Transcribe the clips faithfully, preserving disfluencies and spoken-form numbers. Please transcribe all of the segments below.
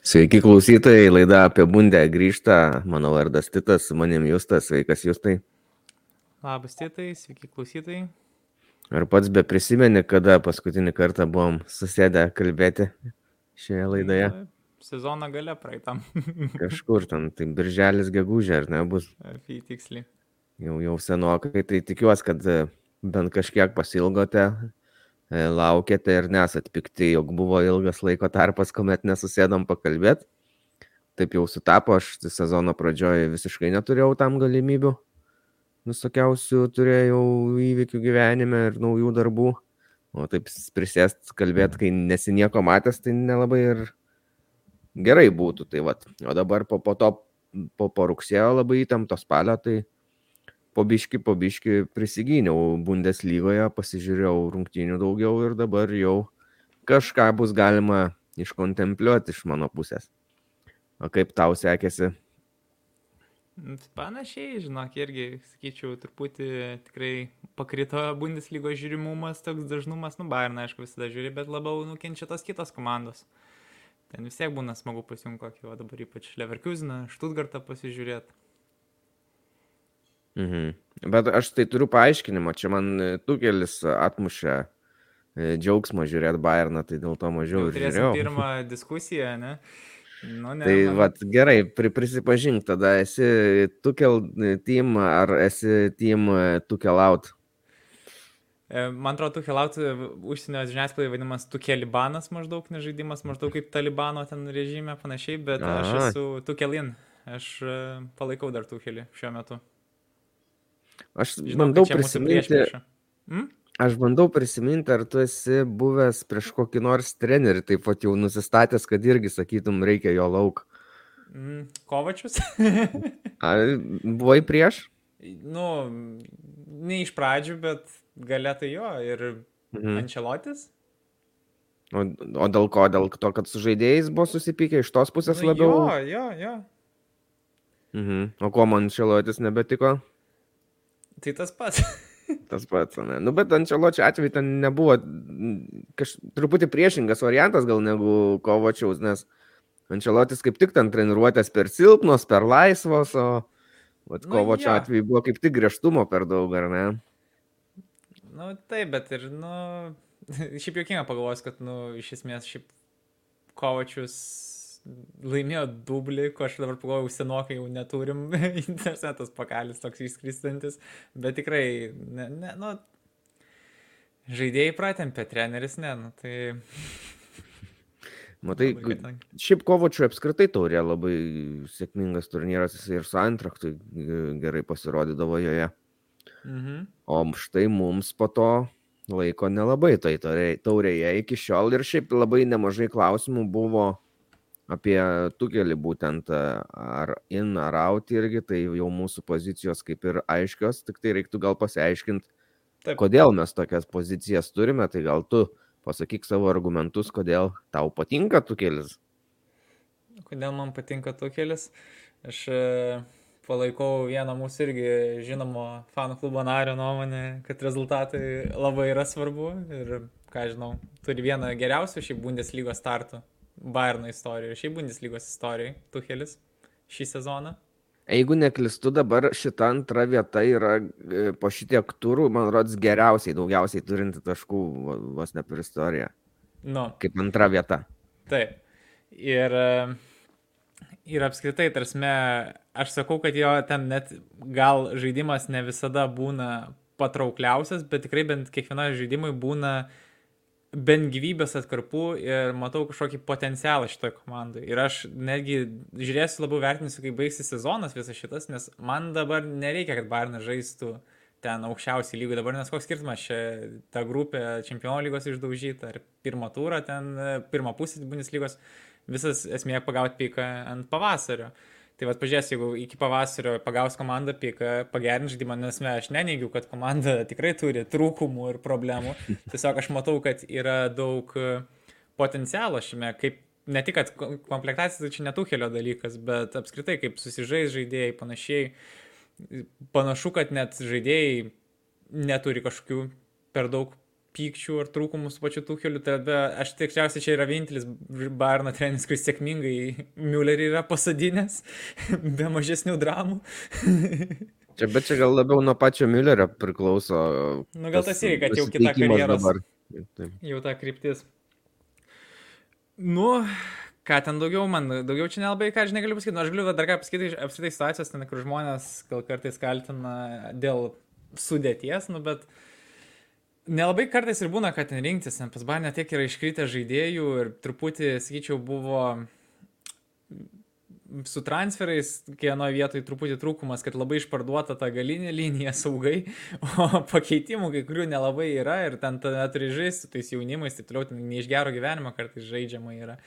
Sveiki klausytojai, laida apie bundę grįžta. Mano vardas Titas, su manim Justas. Sveikas Justai. Labas Titai, sveiki klausytojai. Ar pats be prisimeni, kada paskutinį kartą buvom susėdę kalbėti šioje laidoje? Na, sezono gale praeitam. Kažkur ten, tai birželis gegužė, ar ne, bus Apie tiksliai. jau, jau senokai, tai tikiuosi, kad e, bent kažkiek pasilgote, e, laukėte ir nesat pikti, jog buvo ilgas laiko tarpas, kuomet nesusėdom pakalbėti. Taip jau sutapo, aš sezono pradžioje visiškai neturėjau tam galimybių. Visokiausių turėjau įvykių gyvenime ir naujų darbų. O taip prisėst kalbėti, kai nesi nieko matęs, tai nelabai ir gerai būtų. Tai vat. O dabar po, po to, po, po rugsėjo labai įtempto spalio, tai po biški, po biški prisigyniau Bundeslygoje, pasižiūrėjau rungtynių daugiau ir dabar jau kažką bus galima iškontempliuoti iš mano pusės. O kaip tau sekėsi? Panašiai, žinok, irgi, sakyčiau, truputį tikrai pakrito Bundeslygos žiūrimumas, toks dažnumas, nu, Bayern, aišku, visada žiūri, bet labiau nukenčia tos kitos komandos. Ten vis tiek būna smagu pasijungti kokį, o dabar ypač Leverkuseną, Stuttgartą pasižiūrėti. Mhm. Bet aš tai turiu paaiškinimą, čia man Tuchelis atmušė džiaugsmą žiūrėti Bayerną, tai dėl to mažiau Jau ir turėsim žiūrėjau. pirmą diskusiją, ne? Nu, ne Tai man... vat, gerai, pri, prisipažink, tada esi Tuchel team ar esi team Tuchel out? Man atrodo, Tuchel out užsienio žiniasklaidai vadinamas Tuchelibanas maždaug, nežaidimas maždaug kaip Talibano ten režime panašiai, bet A. aš esu Tuchelin. Aš palaikau dar Tuchelį šiuo metu. Aš Žinau, bandau kad čia mūsų prisiminti, priešprieša. Hmm? aš bandau prisiminti, ar tu esi buvęs prieš kokį nors trenerį, taip pat jau nusistatęs, kad irgi sakytum, reikia jo lauk. Mm, Kovačius? Ar buvai prieš? Nu, ne iš pradžių, bet galėtai jo. Ir Mhm. Ancelotis? O, o dėl ko? Dėl to, kad su žaidėjais buvo susipykę iš tos pusės Nu, labiau? jo, jo, jo. Mhm. O kuo man Ancelotis nebetiko? Tai tas pats. Tas pats, ne? Nu, bet Anceločio atveju ten nebuvo kaž, truputį priešingas variantas gal negu Kovačiaus, nes Ancelotis kaip tik ten treniruotės per silpnos, per laisvos, o vat, Nu, Kovačio jo. atveju buvo kaip tik griežtumo per daug, ar ne? Nu, taip, bet ir, nu, šiaip jokinga pagalvos, kad, nu, iš esmės, šiaip Kovačius laimėjo dublį, ko aš dabar pagalvojau, senokai jau neturim, internetas pakalis toks išskristantis, bet tikrai, ne, ne, nu, žaidėjai pratempė, treneris ne, nu, tai... Matai, labai katangi. šiaip Kovačių apskritai taurė labai sėkmingas turnyras, jis ir su Eintrachtui gerai pasirodydavo joje. Mhm. O štai mums po to laiko nelabai tai taurėje iki šiol ir šiaip labai nemažai klausimų buvo apie Tuchelį būtent ar in ar out irgi, tai jau mūsų pozicijos kaip ir aiškios, tik tai reiktų gal pasiaiškinti, Taip. kodėl mes tokias pozicijas turime, tai gal tu pasakyk savo argumentus, kodėl tau patinka Tuchelis. Kodėl man patinka Tuchelis? Aš e, palaikau vieną mūsų irgi žinomo fanų klubo nario nuomonę, kad rezultatai labai yra svarbu ir, ką žinau, turi vieną geriausių šiaip Bundeslygos startų Bayerno istorijoje, šiaip Bundeslygos istorijoje Tuchelis šį sezoną. Jeigu neklistu, dabar šita antra vieta yra po šitiek turų, man rodos, geriausiai, daugiausiai turinti taškų vos ne per istoriją. Nu, Kaip antra vieta. taip. Ir, ir apskritai, tarsme, aš sakau, kad jo ten net gal žaidimas ne visada būna patraukliausias, bet tikrai bent kiekviena žaidimai būna bent gyvybės atkarpų ir matau kažkokį potencialą šitoje komandai. Ir aš netgi žiūrėsiu, labiau vertinsiu, kai baigsis sezonas visas šitas, nes man dabar nereikia, kad Bayernas žaistų ten aukščiausiai lygų dabar, nes koks skirtumas čia ta grupė Čempionų lygos išdaužyta, ar pirmą turą ten, pirmą pusę Bundeslygos, visas esmė pagauti piką ant pavasario. Tai vat pažiūrės, jeigu iki pavasario pagaus komandą piką, pagerint žaidimą, nes aš neneigiu, kad komanda tikrai turi trūkumų ir problemų. Tiesiog aš matau, kad yra daug potencialo šiame, kaip ne tik, kad komplektacija tai čia ne Tuchelio dalykas, bet apskritai kaip susižais žaidėjai panašiai. Panašu, kad net žaidėjai neturi kažkokių per daug pykčių ar trūkumų su pačiu Tucheliu, tada aš tikriausiai čia yra vienintelis Bayerno treneris, kuris sėkmingai Müllerį yra pasadinęs, be mažesnių dramų. Čia, bet čia gal labiau nuo pačio Müllerio priklauso. Nu gal tas irgi, kad jau kita karjeros, dabar. Jau ta kryptis. Nu, ką ten daugiau, man daugiau čia nelabai, ką žinai, galiu pasakyti. Nu, aš galiu dar ką pasakyti iš apskritai situacijos, ten, kur žmonės gal kartais kaltina dėl sudėties, nu, bet nelabai kartais ir būna, kad ten rinktis, ten pas Bayerną tiek yra iškritę žaidėjų ir truputį, sakyčiau, buvo su transferais kienoje vietoje truputį trūkumas, kad labai išparduota ta galinė linija saugai, o pakeitimų kai kurių nelabai yra ir ten tada turi žaisti su tais jaunimais, taip toliau, ne iš gero gyvenimo kartais žaidžiama yra.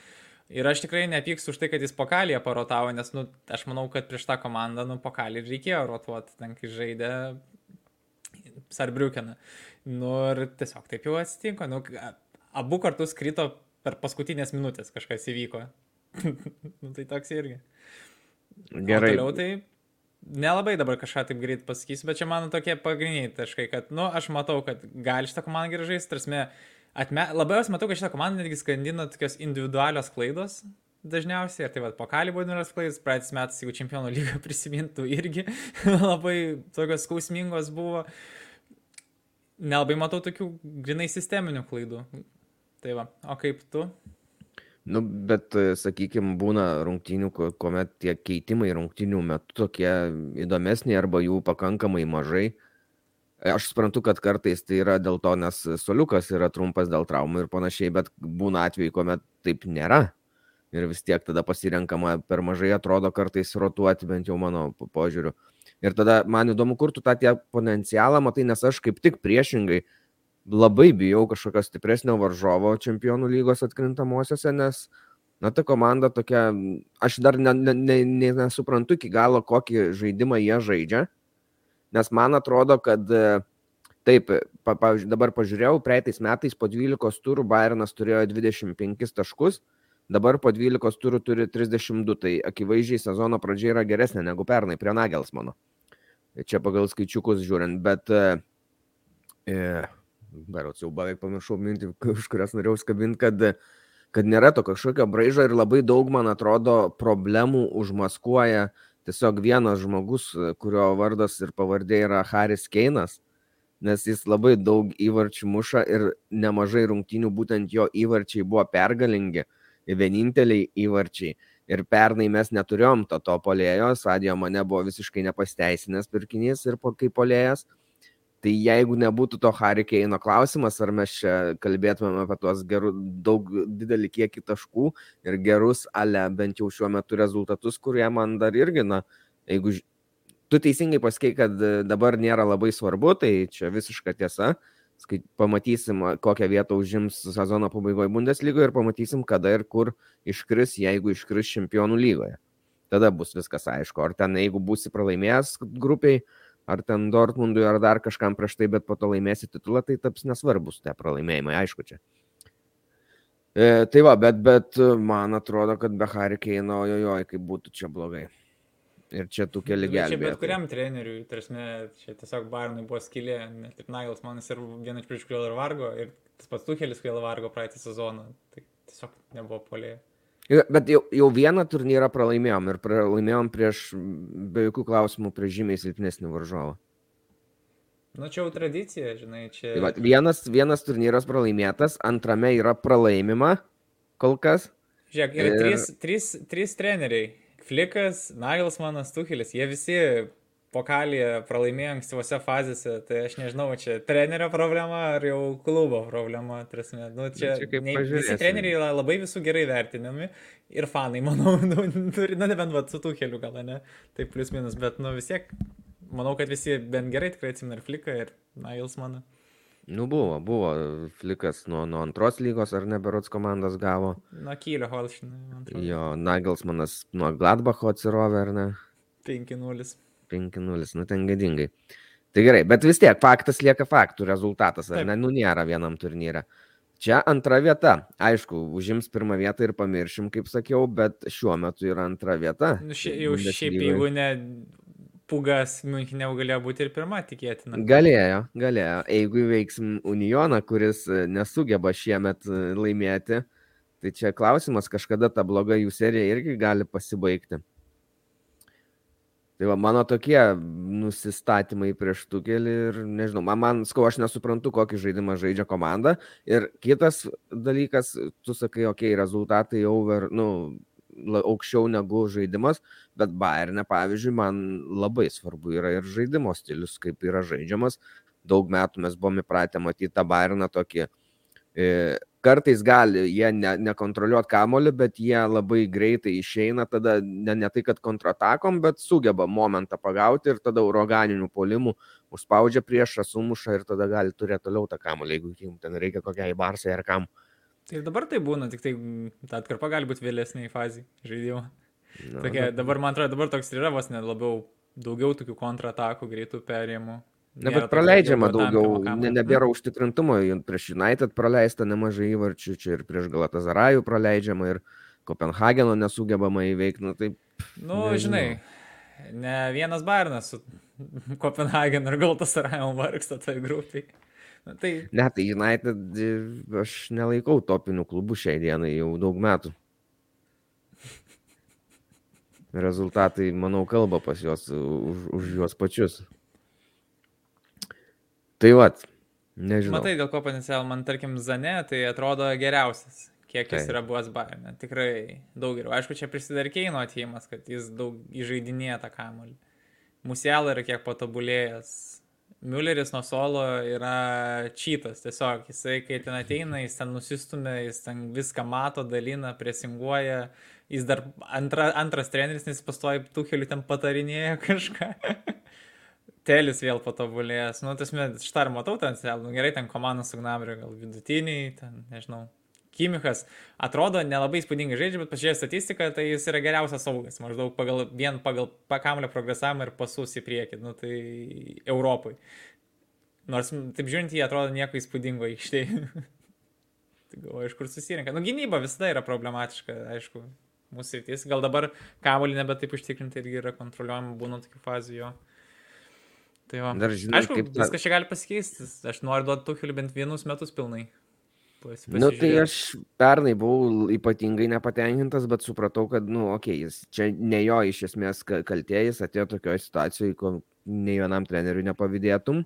Ir aš tikrai nepykstu už tai, kad jis Pokalyje parotavo, nes, nu, aš manau, kad prieš tą komandą, nu, Pokaly reikėjo rotuoti, ten, kai žaidė Sarbriukeną. Nu, ir tiesiog taip jau atsitinko. Nu, abu kartus krito per paskutinės minutės, kažkas įvyko. Nu, tai toks irgi. Gerai. O toliau tai nelabai dabar kažką taip greit pasakysiu, bet čia mano tokie pagrindiniai taškai, kad, nu, aš matau, kad gali šitą komandą gerai žaisti, tarsi, atme... labiausiai matau, kad šitą komandą netgi skandina tokios individualios klaidos dažniausiai, ir tai va, Pokaly buvo individualios klaidos, praeitis metais, jeigu Čempionų lygą prisimintų, irgi labai tokios skausmingos buvo. Nelabai matau tokių grinai sisteminių klaidų. Tai va, o kaip tu? Nu, bet, sakykime, būna rungtynių, kuomet tie keitimai rungtynių metu tokie įdomesni arba jų pakankamai mažai. Aš suprantu, kad kartais tai yra dėl to, nes suoliukas yra trumpas dėl traumų ir panašiai, bet būna atveju, kuomet taip nėra. Ir vis tiek tada pasirenkama per mažai, atrodo kartais rotuoti, bent jau mano požiūriu. Ir tada man įdomu, kur tu tą tie potencialą matai, nes aš kaip tik priešingai labai bijau kažkokio stipresnio varžovo Čempionų lygos atkrintamosiose, nes, na, ta komanda tokia, aš dar ne, ne, ne, ne, nesuprantu iki galo, kokį žaidimą jie žaidžia, nes man atrodo, kad taip, pa, pa, dabar pažiūrėjau, praeitais metais po dvylikos turų Bayernas turėjo dvidešimt penkis taškus, dabar po dvylikos turų turi trisdešimt du, tai akivaizdžiai sezono pradžia yra geresnė negu pernai prie Nagelsmano. Čia pagal skaičiukus žiūrint, bet e, berods jau beveik pamiršau mintį, už kurias norėjau skabinti, kad, kad nėra to kažkokio braižo ir labai daug, man atrodo, problemų užmaskuoja tiesiog vienas žmogus, kurio vardas ir pavardė yra Haris Keinas, nes jis labai daug įvarčių muša ir nemažai rungtynių būtent jo įvarčiai buvo pergalingi, vieninteliai įvarčiai. Ir pernai mes neturėjom to, to polėjo, Sadio Mane buvo visiškai nepasteisinęs pirkinys ir po, kaip polėjas. Tai jeigu nebūtų to Harry Kane'o klausimas, ar mes čia kalbėtumėm apie tuos gerų, daug didelį kiekį taškų ir gerus, ale bent jau šiuo metu rezultatus, kurie man dar irgi, na, jeigu tu teisingai pasakei, kad dabar nėra labai svarbu, tai čia visiška tiesa. Pamatysim, kokią vietą užims sezono pabaigoje Bundeslygoje ir pamatysim, kada ir kur iškris, jeigu iškris Čempionų lygoje. Tada bus viskas aišku. Ar ten, jeigu būsi pralaimėjęs grupiai, ar ten Dortmundui, ar dar kažkam prieš tai, bet po to laimėsi titulą, tai taps nesvarbus tie pralaimėjimai, aišku čia. E, tai va, bet, bet man atrodo, kad be Harry Kane'o, ojojoj, kaip būtų čia blogai. Ir čia tų keli gelbėtojai. Čia bet kuriam treneriui, tarsi, čia tiesiog Bayernui buvo skylė, net ir Nagelsmanas ir vienas prieš kurį ir vargo, ir tas pats Tuchelis kurį vargo praeitą sezoną, tai tiesiog nebuvo polėjo. Bet jau, jau vieną turnyrą pralaimėjom ir pralaimėjom prieš, be jokių klausimų, prieš žymiai silpnesnį varžovą. Nu, čia jau tradicija, žinai, čia... Tai va, vienas, vienas turnyras pralaimėtas, antrame yra pralaimima kol kas. Žiūrėk, yra ir... trys, trys, trys treneriai. Flikas, Nagelsmanas, Tuchelis, jie visi Pokalyje pralaimėjo ankstyvose fazėse, tai aš nežinau, čia trenerio problema ar jau klubo problema. Trasme. Nu, čia čia ne, visi treneriai yra labai visų gerai vertinami ir fanai, manau, nu, na nebent va, su Tucheliu gal, ne, tai plius minus, bet nu vis tiek, manau, kad visi bent gerai tikrai atsimena ir Fliką, ir Nagelsmaną. Nu buvo, buvo, Flikas nuo, nuo antros lygos ar ne berods komandas gavo. Nuo Kylio Holšteino. Jo, Nagelsmanas nuo Gladbacho atsirovė, ar ne? penki nulis. penki nulis, nu ten gėdingai. Tai gerai, bet vis tiek faktas lieka faktų, rezultatas, ar ne? Nu nėra vienam turnyre. Čia antra vieta. Aišku, užims pirmą vietą ir pamiršim, kaip sakiau, bet šiuo metu yra antra vieta. Nu, šia, jau šiaip, jeigu ne Pugas Münchenė galėjo būti ir pirma, tikėtina. Galėjo, galėjo. Jeigu įveiksim Unioną, kuris nesugeba šiemet laimėti, tai čia klausimas, kažkada ta bloga jų serija irgi gali pasibaigti. Tai va, mano tokie nusistatymai prieš Tuchelį ir nežinau, man, man skau, aš nesuprantu, kokį žaidimą žaidžia komanda. Ir kitas dalykas, tu sakai, okei, okay, rezultatai over, nu, aukščiau negu žaidimas, bet Bayerne, pavyzdžiui, man labai svarbu yra ir žaidimo stilius, kaip yra žaidžiamas. Daug metų mes buvome įpratę matyti tą Bayerną tokį. E, kartais gali jie ne, nekontroliuoti kamolį, bet jie labai greitai išeina, tada ne, ne tai, kad kontratakom, bet sugeba momentą pagauti ir tada uraganinių puolimų užspaudžia priešą, sumuša ir tada gali turėti toliau tą kamolį, jeigu jums ten reikia kokiai Barsai ar kam. Tai ir dabar tai būna, tik tai ta atkarpa gali būti vėlesniai fazai žaidimo. Na, Tokia, na, dabar, man atrodo, dabar toks ir yra vos net labiau daugiau tokių kontratakų, greitų perėjimų. Ne, bet praleidžiama daugiau, ne, nebėra užtikrintumo, prieš United praleista nemažai įvarčių, čia ir prieš Galatasarajų praleidžiama ir Kopenhageno nesugebama įveikti. Nu, tai, nu žinai, ne vienas Bayernas su Kopenhagenu ir Galatasarajom vargsta toj grupiai. Na, tai... Ne, tai United aš nelaikau topinių klubų šiai dienai jau daug metų. Rezultatai, manau, kalba pas juos už, už juos pačius. Tai vat, nežinau. Matai, dėl ko potencial, man tarkim Zane, tai atrodo geriausias, kiek jis tai yra buvęs Bayerne. Tikrai daug geriau. Aišku, čia prisideda ir Keino atėjimas, kad jis daug įžaidinėja tą kamuolį. Musiala yra kiek patobulėjęs. Mülleris nuo suolo yra čytas, tiesiog jisai, kai ten ateina, jis ten nusistumia, jis ten viską mato, dalina, presinguoja, jis dar antra, antras treneris, nes jis pastoja Tucheliui ten patarinėja kažką. Telis vėl patobulėjęs, nu, tasme, šitą ir matau ten, nu, gerai, ten komanda su Gnabry, gal vidutiniai, ten, nežinau. Kimichas atrodo nelabai įspūdingai žaidžia, bet pažiūrėjau statistiką, tai jis yra geriausias saugas, maždaug pagal, vien pagal kamuolio progresavimą ir pasus į priekį, nu tai Europai. Nors, taip žiūrint, jie atrodo nieko įspūdingo aikštėje. Tai galvoju, iš kur susirenka. Nu, gynyba visada yra problematiška, aišku, mūsų sritis. Gal dabar kamuolį nebe taip užtikrinti irgi yra kontroliuojama, būna tokių fazų jo. Tai va. Dar žinai, aišku, kaip ta... viskas čia gali pasikeisti. Aš noriu duoti Tucheliui bent vienus metus pilnai. Nu, tai aš pernai buvau ypatingai nepatenkintas, bet supratau, kad, nu, okei, okay, jis čia ne jo iš esmės kaltė, jis atėjo tokioje situacijoje, ko nei vienam treneriui nepavydėtum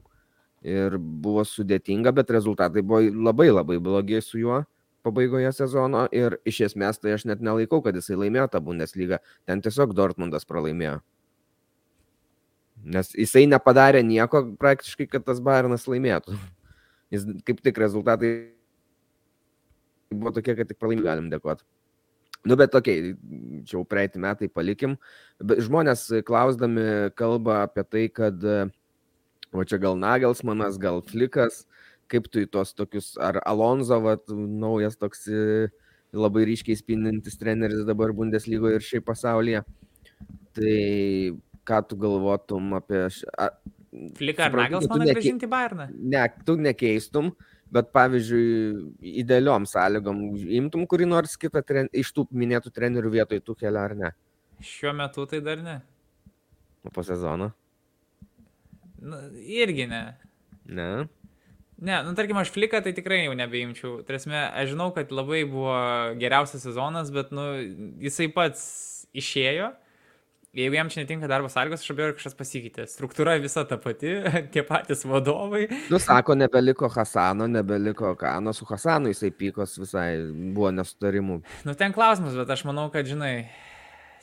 ir buvo sudėtinga, bet rezultatai buvo labai labai blogi su juo pabaigoje sezono ir iš esmės tai aš net nelaikau, kad jisai laimėjo tą Bundeslygą, ten tiesiog Dortmundas pralaimėjo. Nes jisai nepadarė nieko praktiškai, kad tas Bayernas laimėtų. Jis kaip tik rezultatai buvo tokie, kad tik pralaimį galim dėkoti. Nu, bet tokiai, čia jau praeitį metai palikim. Bet žmonės klausdami kalba apie tai, kad o čia gal Nagelsmanas, gal Flikas, kaip tu į tos tokius, ar Alonso, vat, naujas toks labai ryškiai spindintis treneris dabar Bundeslygoje ir šiaip pasaulyje. Tai ką tu galvotum apie... Š... Fliką ar Nagelsmaną neke... grąžinti Bayerną? Ne, tu nekeistum. Bet pavyzdžiui, idealiom sąlygom imtum kurį nors kitą tren... iš tų minėtų trenerių vietoj Tuchelio ar ne? Šiuo metu tai dar ne. O po sezono? Nu, irgi ne. Ne? Ne, nu tarkim, aš Fliką tai tikrai jau nebeimčiau. Tarasme, aš žinau, kad labai buvo geriausias sezonas, bet nu, jisai pats išėjo. Jeigu jam čia netinka darbo sąlygos, aš abejoju, kažkas pasikeitė. Struktūra visa ta pati, tie patys vadovai. Nu, sako, nebeliko Hasano, nebeliko Kano, su Hasanu jisai pykos visai, buvo nesutarimų. Nu, ten klausimas, bet aš manau, kad, žinai,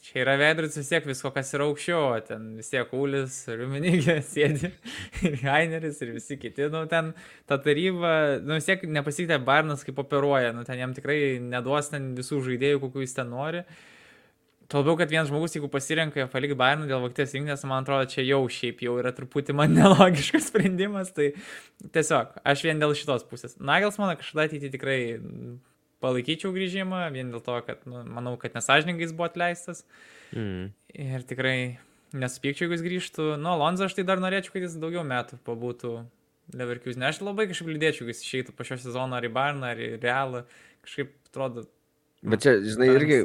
čia yra veidrodis vis tiek visko, kas yra aukščiau, ten vis tiek Ulis, Ruminigė sėdi, ir Heineris, ir visi kiti, nu, ten ta taryba, nu, vis tiek nepasikeitė Bayernas kaip operuoja, nu, ten jam tikrai neduos ten visų žaidėjų, kokių jis ten nori. Tuo labiau, kad vienas žmogus, jeigu pasirenka palikti Bayerną dėl Vokietijos rinktinės, man atrodo, čia jau šiaip jau yra truputį man nelogiškas sprendimas, tai tiesiog, aš vien dėl šitos pusės. Nagelsmaną kažkada ateitį tikrai palaikyčiau grįžimą, vien dėl to, kad, nu, manau, kad nesažiningai jis buvo atleistas. Mm. Ir tikrai nesupykčiau, jeigu jis grįžtų. Nu, Alonso aš tai dar norėčiau, kad jis daugiau metų pabūtų Leverkusen. Aš labai kažkaip liūdėčiau, jis išeitų po šio sezono ar į Bayerną, ar į Realą. Kažkaip atrodo... Bet čia, žinai, irgi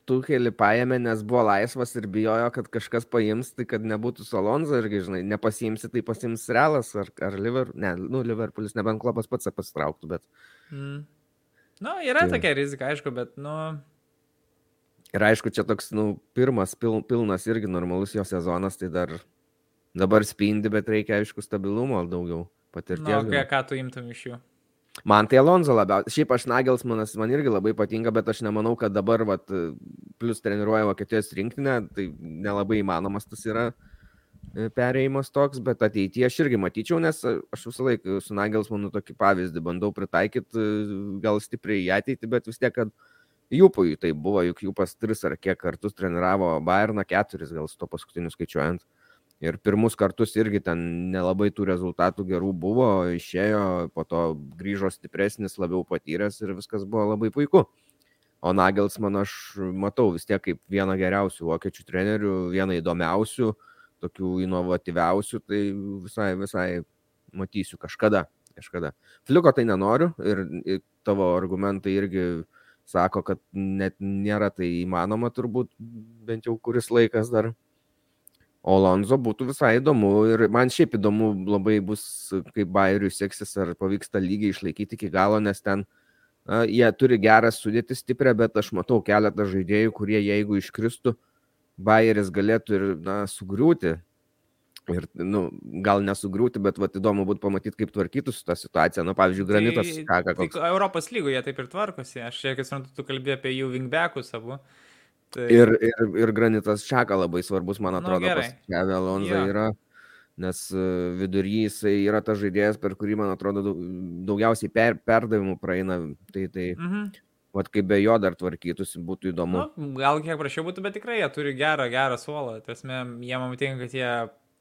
Tuchelį paėmė, nes buvo laisvas ir bijojo, kad kažkas paims, tai kad nebūtų su Alonso irgi, žinai, nepasiimsi, tai pasiims Realas ar, ar Liverpoolis, ne, nu, Liverpoolis, nebent Klopas pats pasitrauktų, bet... Mm. Nu, yra Tai- tokia rizika, aišku, bet, nu, Ir aišku, čia toks, nu, pirmas pil, pilnas irgi normalus jo sezonas, tai dar dabar spindi, bet reikia, aišku, stabilumo daugiau, patirties. nu, ką, gal. ką tu imtum iš jų. Man tai Alonso labiausiai. Šiaip aš Nagelsmanas man irgi labai patinka, bet aš nemanau, kad dabar, vat, plus treniruoja Vokietijos rinktinę, tai nelabai įmanomas tas yra e, perėjimas toks, bet ateityje aš irgi matyčiau, nes aš visą laiką su Nagelsmanu tokį pavyzdį bandau pritaikyti, e, gal stipriai į ateitį, bet vis tiek, kad Jūpui tai buvo, juk Jūpas tris ar kiek kartus treniravo Bayerną, keturis gal su to paskutiniu skaičiuojant. Ir pirmus kartus irgi ten nelabai tų rezultatų gerų buvo, išėjo, po to grįžo stipresnis, labiau patyręs ir viskas buvo labai puiku. O Nagelsman aš matau vis tiek kaip vieną geriausių vokiečių trenerių, vieną įdomiausių, tokių inovatyviausių, tai visai, visai matysiu kažkada. kažkada. Fliuko tai nenoriu ir, ir tavo argumentai irgi sako, kad net nėra tai įmanoma turbūt, bent jau kuris laikas dar. O Alonso būtų visai įdomu ir man šiaip įdomu labai bus, kaip Bayeriui seksis, ar pavyks tą lygį išlaikyti iki galo, nes ten a, jie turi gerą sudėtį stiprią, bet aš matau keletą žaidėjų, kurie jeigu iškristų, Bayeris galėtų ir na, sugriūti. Ir, nu, gal nesugriūti, bet vat, įdomu būtų pamatyti, kaip tvarkytųsi tą situaciją. Nu, pavyzdžiui, Granitas, tai, ką, ką koks. Tai Europos lygoje taip ir tvarkosi. Aš čia, kai suprantu, tu kalbėjai apie jų wingbackus abu. Tai... Ir, ir, ir Granitas Čaka labai svarbus, man Nu, atrodo, gerai. pas Xavi Alonso Jo. yra, nes e, vidury jisai yra tas žaidėjas, per kurį, man atrodo, daug- daugiausiai per, perdavimų praeina. Tai, tai Mhm. vat, kaip be jo dar tvarkytųsi, būtų įdomu. Nu, gal kiek prašiau būtų, bet tikrai jie turi gerą, gerą suolą. Tasme, jie man patinka, kad jie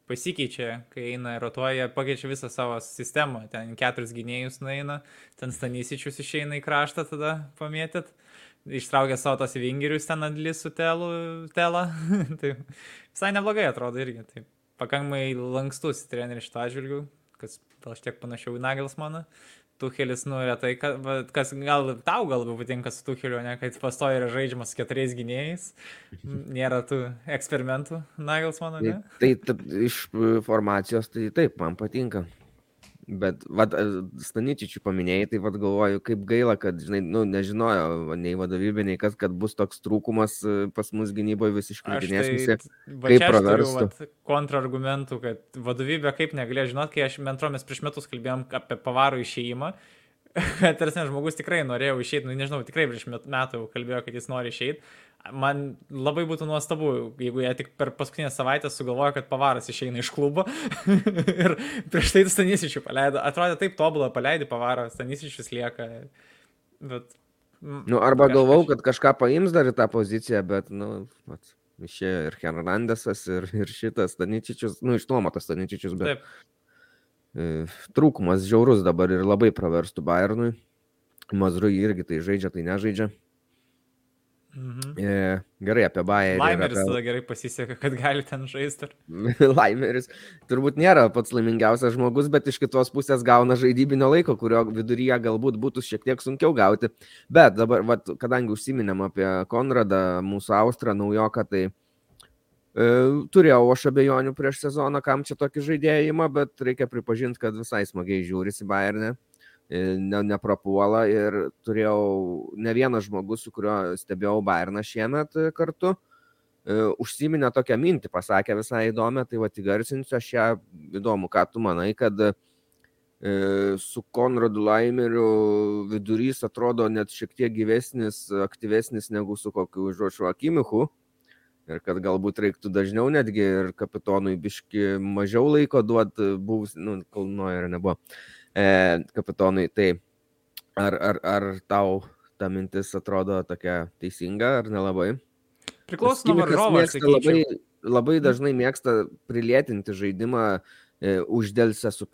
pasikeičia, kai eina ir rotuoja, pakeičia visą savo sistemą. Ten keturis gynėjus nueina, ten Stanisičius išeina į kraštą tada pamėtyt. Ištraukia savo tos vingerius ten Adlis su telu, telą. Tai visai neblogai atrodo irgi. Tai pakankamai lankstus treneris šito atžvilgiu, kas gal šiek tiek panašiau į Nagelsmaną. Tuchelis, nu, retai, ka- va, kas gal tau gal labiau patinka su Tucheliu, ne, kad pastoja yra žaidžiamas su keturiais gynėjais. Nėra tų eksperimentų Nagelsmano, Tai, ne? tai, tai iš e, formacijos, tai taip, man patinka. Bet, vad, Staničičių paminėjai, tai vad galvoju, kaip gaila, kad, žinai, nu, nežinojo va, nei vadovybė, nei kas, kad bus toks trūkumas e, pas mus gynyboje vis Aš iškritinės tai, visi. va kaip čia aš turiu praverstų. vat, kontrargumentų, kad vadovybė kaip negalėjo žinot, kai aš mentromės prieš metus kalbėjom apie Pavarų išėjimą, kad tarsi žmogus tikrai norėjo išeiti, nu nežinau, tikrai prieš met- metų jau kalbėjo, kad jis nori išeiti. Man labai būtų nuostabu, jeigu jie tik per paskutinę savaitę sugalvojo, kad Pavaras išeina iš klubo ir prieš tai Stanisičių paleido. Atrodė taip tobulą, paleidai Pavarą, Stanisičius lieka. Bet, mm, Nu, arba kažkas- galvau, kad kažką paims dar į tą poziciją, bet, nu, vat, išėjo ir Hernandesas, ir, ir šitas Staničičius, nu, išnuomotas Staničičius, bet Taip, e, trūkumas žiaurus dabar ir labai praverstų Bayernui. Mazrui irgi tai žaidžia, tai nežaidžia. mhm. E, gerai, apie Bayerį. ir Laimeris apie- tada gerai pasiseka, kad gali ten žaisti. Laimeris turbūt nėra pats laimingiausias žmogus, bet iš kitos pusės gauna žaidybinio laiko, kurio viduryje galbūt būtų šiek tiek sunkiau gauti. Bet dabar, vat, kadangi užsiminėm apie Konradą, mūsų Austrą, naujoką, tai e, turėjau aš abejonių prieš sezoną, kam čia tokį žaidėjimą, bet reikia pripažinti, kad visai smagiai žiūrisi Bayernė. E, ne, neprapuola ir turėjau ne vienas žmogus, su kuriuo stebėjau Bayerną šiemet e, kartu. E, užsiminė tokią mintį, pasakė visai įdomią, tai va įgarsinsiu aš ją įdomu, ką tu manai, kad e, su Konradu Laimeriu vidurys atrodo net šiek tiek gyvesnis, aktyvesnis negu su kokiu Žošu Akimichu ir kad galbūt reiktų dažniau netgi ir kapitonui biški mažiau laiko duoti buvus, nu, kol Neuerio nebuvo e, kapitonui, tai ar, ar, ar tau ta mintis atrodo tokia teisinga ar nelabai? Priklauso nuo Kimikas varžovo, aš mėgsta labai, sakyčiau. labai dažnai mėgsta prilėtinti žaidimą, e, uždelsę su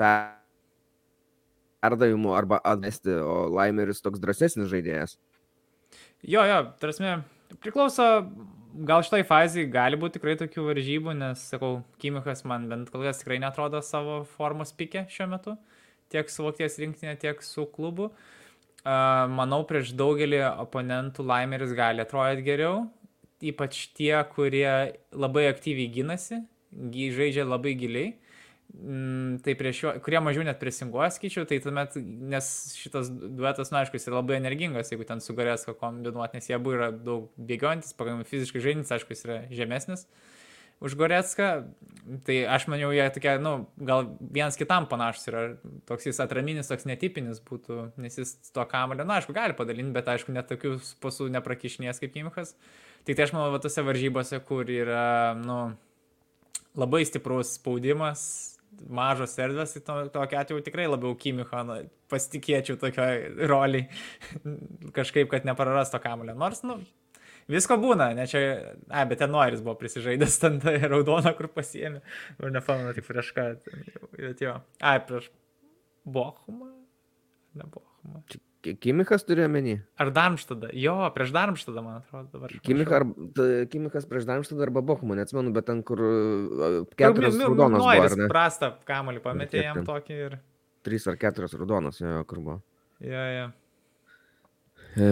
perdavimu arba atmesti, o Laimeris toks drąsesnis žaidėjas. Jo, jo, tarsi, priklauso, gal šitai fazai gali būti tikrai tokių varžybų, nes, sakau, Kimichas man bent kol kas tikrai netrodo savo formos pike šiuo metu, tiek su Vokietijos rinktinė, tiek su klubu. Uh, manau, prieš daugelį oponentų Laimeris gali atrodyti geriau, ypač tie, kurie labai aktyviai gynasi, žaidžia labai giliai, tai prieš jo, kurie mažiau net presinguoja, skaičiau, tai tuomet, nes šitas duetas, nu aišku, jis yra labai energingas, jeigu ten su Gorecka kombinuoti, nes jie abu yra daug bėgiojantis, pakankamai fiziškai žaidintis, aišku, jis yra žemesnis už Gorecką, tai aš maniau, jie tokie, nu, gal vienas kitam panašus yra, toks jis atraminis, toks netipinis būtų, nes jis to kamuolio, na, aišku, gali padalinti, bet aišku, net tokių pasų neprakišinės kaip Kimichas. Tai tai aš manau, va, tose varžybose, kur yra, nu, labai stiprus spaudimas, mažos erdvės, tai to, tokia atveju tikrai labiau Kimicho, nu, pasitikėčiau tokioj roliai, kažkaip, kad nepraras to kamuolio. Nors, nu, visko būna, ne čia, ai, bet ten Noiris buvo prisižaidęs, ten tai raudoną, kur pasiėmė, ir nepamenu tik prieš ką, bet jo, ai, prieš Bochumą, ne Bochumą. Kimichas turi omeny? Ar Darmštadą? Jo, prieš Darmštadą, man atrodo, dabar. Kimichas, ar, Kimichas prieš Darmštadą arba Bochumą, neatsimenu, bet ten, kur keturios raudonos buvo, ar ne? Prastą kamuolį pametė jam tokį ir... Trys ar keturios raudonos, jo, kur buvo. Jo, jo. E,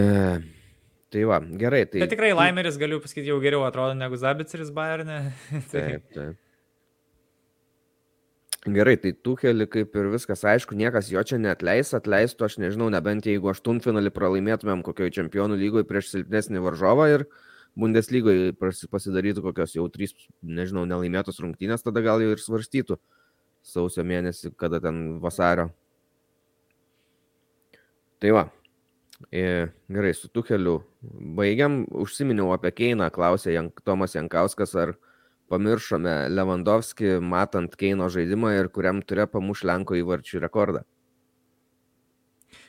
tai va, gerai. Tai... Bet tikrai Laimeris, galiu pasakyti, jau geriau atrodo negu Zabiceris Bayerne. Taip, taip. Gerai, tai Tuchelį kaip ir viskas aišku, niekas jo čia neatleis, atleistų, aš nežinau, nebent jeigu aštuntfinalį pralaimėtumėm kokioj čempionų lygoje prieš silpnesnį varžovą ir Bundeslygoje pasidarytų kokios jau trys, nežinau, nelaimėtos rungtynės, tada gal jau ir svarstytų sausio mėnesį, kada ten vasario. Tai va, e, gerai, su Tucheliu baigiam, užsiminiau apie Keiną, klausė Jank, Tomas Jankauskas, ar pamiršome Lewandowski, matant Keino žaidimą ir kuriam turėjo pamuš Lenko įvarčių rekordą.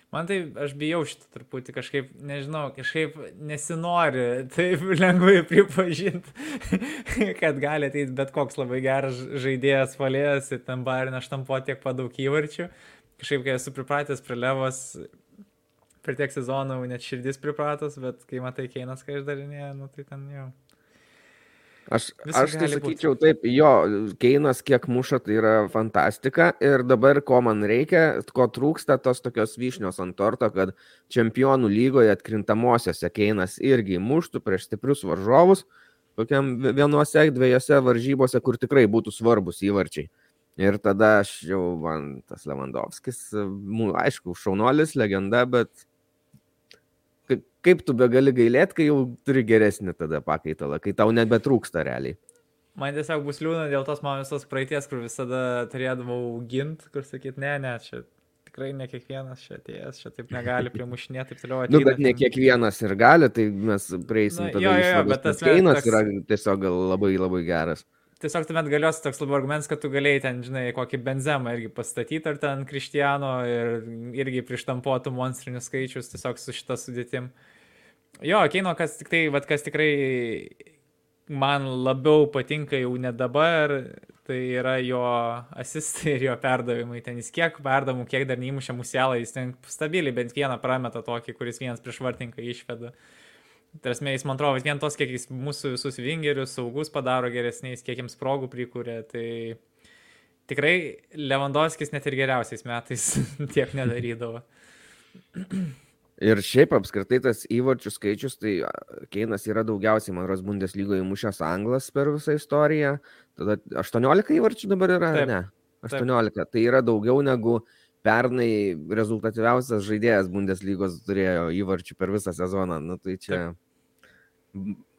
Man tai, aš bijau šitą truputį kažkaip, nežinau, kažkaip nesinori taip lengvai pripažinti, kad gali ateiti bet koks labai geras žaidėjas palėjęs ir ten Bayern štampo tiek padaug įvarčių. Kažkaip, kai esu pripratęs prie Levos, per tiek sezonų net širdis pripratos, bet kai matai Keinas, kai išdarinėja, nu tai ten jau... Aš, aš tai sakyčiau taip, jo, Keinas kiek muša, tai yra fantastika ir dabar ko man reikia, ko trūksta tos tokios vyšnios ant torto, kad čempionų lygoje atkrintamosiose Keinas irgi muštų prieš stiprius varžovus, kokiam vienuose, dviejose varžybose, kur tikrai būtų svarbus įvarčiai. Ir tada aš jau, man tas Lewandowskis, aišku, šaunuolis, legenda, bet kaip tu begali gailėti, kai jau turi geresnį tada pakaitalą, kai tau nebetrūksta realiai. Man tiesiog bus liūna dėl tos mano visos praeities, kur visada turėdavau gint, kur sakyt, ne, ne, čia tikrai ne kiekvienas čia atėjęs, čia taip negali primušinėti, taip toliau. Nu, bet ne kiekvienas ir gali, tai mes prieisim Na, tada jo, jo, jo, išvados, bet tas kad Keinas toks- yra tiesiog gal labai labai geras. Tiesiog tuomet galios toks labiau argumentas, kad tu galėjai ten, žinai, kokį Benzemą irgi pastatyti, ar ten Krištiano ir irgi prištampuotų monstrinius skaičius tiesiog su šita sudėtim. Jo, Keino, kas, tik tai, vat, kas tikrai man labiau patinka jau ne dabar, tai yra jo asistai ir jo perdavimai. Ten jis kiek perdavimų, kiek dar neįmušė Musialą, jis ten stabiliai bent vieną prameta tokį, kuris vienas prieš vartininką išveda. Tarasme, jis man atrodo, vien tos, kiek jis mūsų visus vingerius saugus padaro geresniais, kiek jiems progų prikūrė, tai tikrai Lewandowskis net ir geriausiais metais tiek nedarydavo. Ir šiaip apskritai tas įvarčių skaičius, tai Keinas yra daugiausiai, man rodos, Bundeslygoje įmušęs anglas per visą istoriją. Tada aštuoniolika įvarčių dabar yra, Taip, ne? aštuoniolika. Tai yra daugiau negu pernai rezultatyviausias žaidėjas Bundeslygos turėjo įvarčių per visą sezoną. Nu, tai čia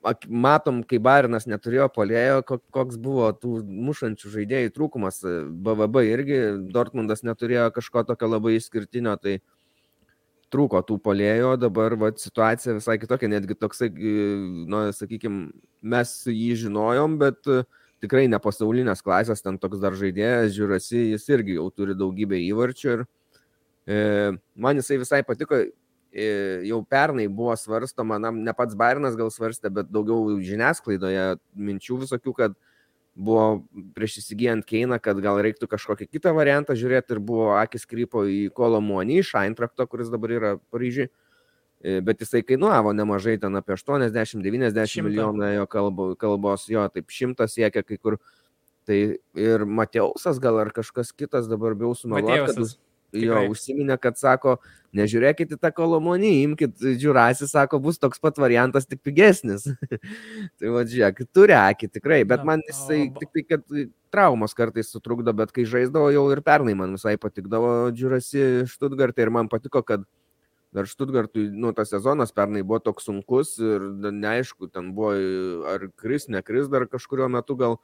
Ak- matom, kai Bayernas neturėjo puolėjo, ko- koks buvo tų mušančių žaidėjų trūkumas. B V B irgi Dortmundas neturėjo kažko tokio labai išskirtinio, tai trūko tų puolėjo, dabar vat, situacija visai kitokia, netgi toksai, nu, sakykime, mes jį žinojom, bet e, tikrai ne pasaulinės klasės, ten toks dar žaidėjas, žiūrasi, jis irgi jau turi daugybę įvarčių ir e, man jisai visai patiko, e, jau pernai buvo svarstoma, na, ne pats Bayernas gal svarstė, bet daugiau žiniasklaidoje minčių visokių, kad buvo prieš įsigijant Keiną, kad gal reiktų kažkokį kitą variantą žiūrėti ir buvo akis krypo į Kolomuonį iš Eintrachto, kuris dabar yra Paryžiui, E, bet jisai kainuavo nemažai, ten apie aštuoniasdešimt devyniasdešimt Šimtą. milijonų jo kalbo, kalbos, jo, taip šimtas siekia kai kur. Tai ir Mateusas gal ar kažkas kitas dabar bijau sumeluoti, kad Mateusas. už, jo užsiminė, kad sako, nežiūrėkit į tą Kolomonį, imkit Džiurasį, sako, bus toks pat variantas, tik pigesnis. Tai va, žiūrėk, turi akį tikrai, bet man jisai tik tai, kad traumos kartais sutrukdo, bet kai žaisdavo jau ir pernai man visai patikdavo Džiurasi Štutgartą ir man patiko, kad dar Štutgartui, nu, tas sezonas pernai buvo toks sunkus ir neaišku, ten buvo ar kris, nekris dar kažkurio metu gal,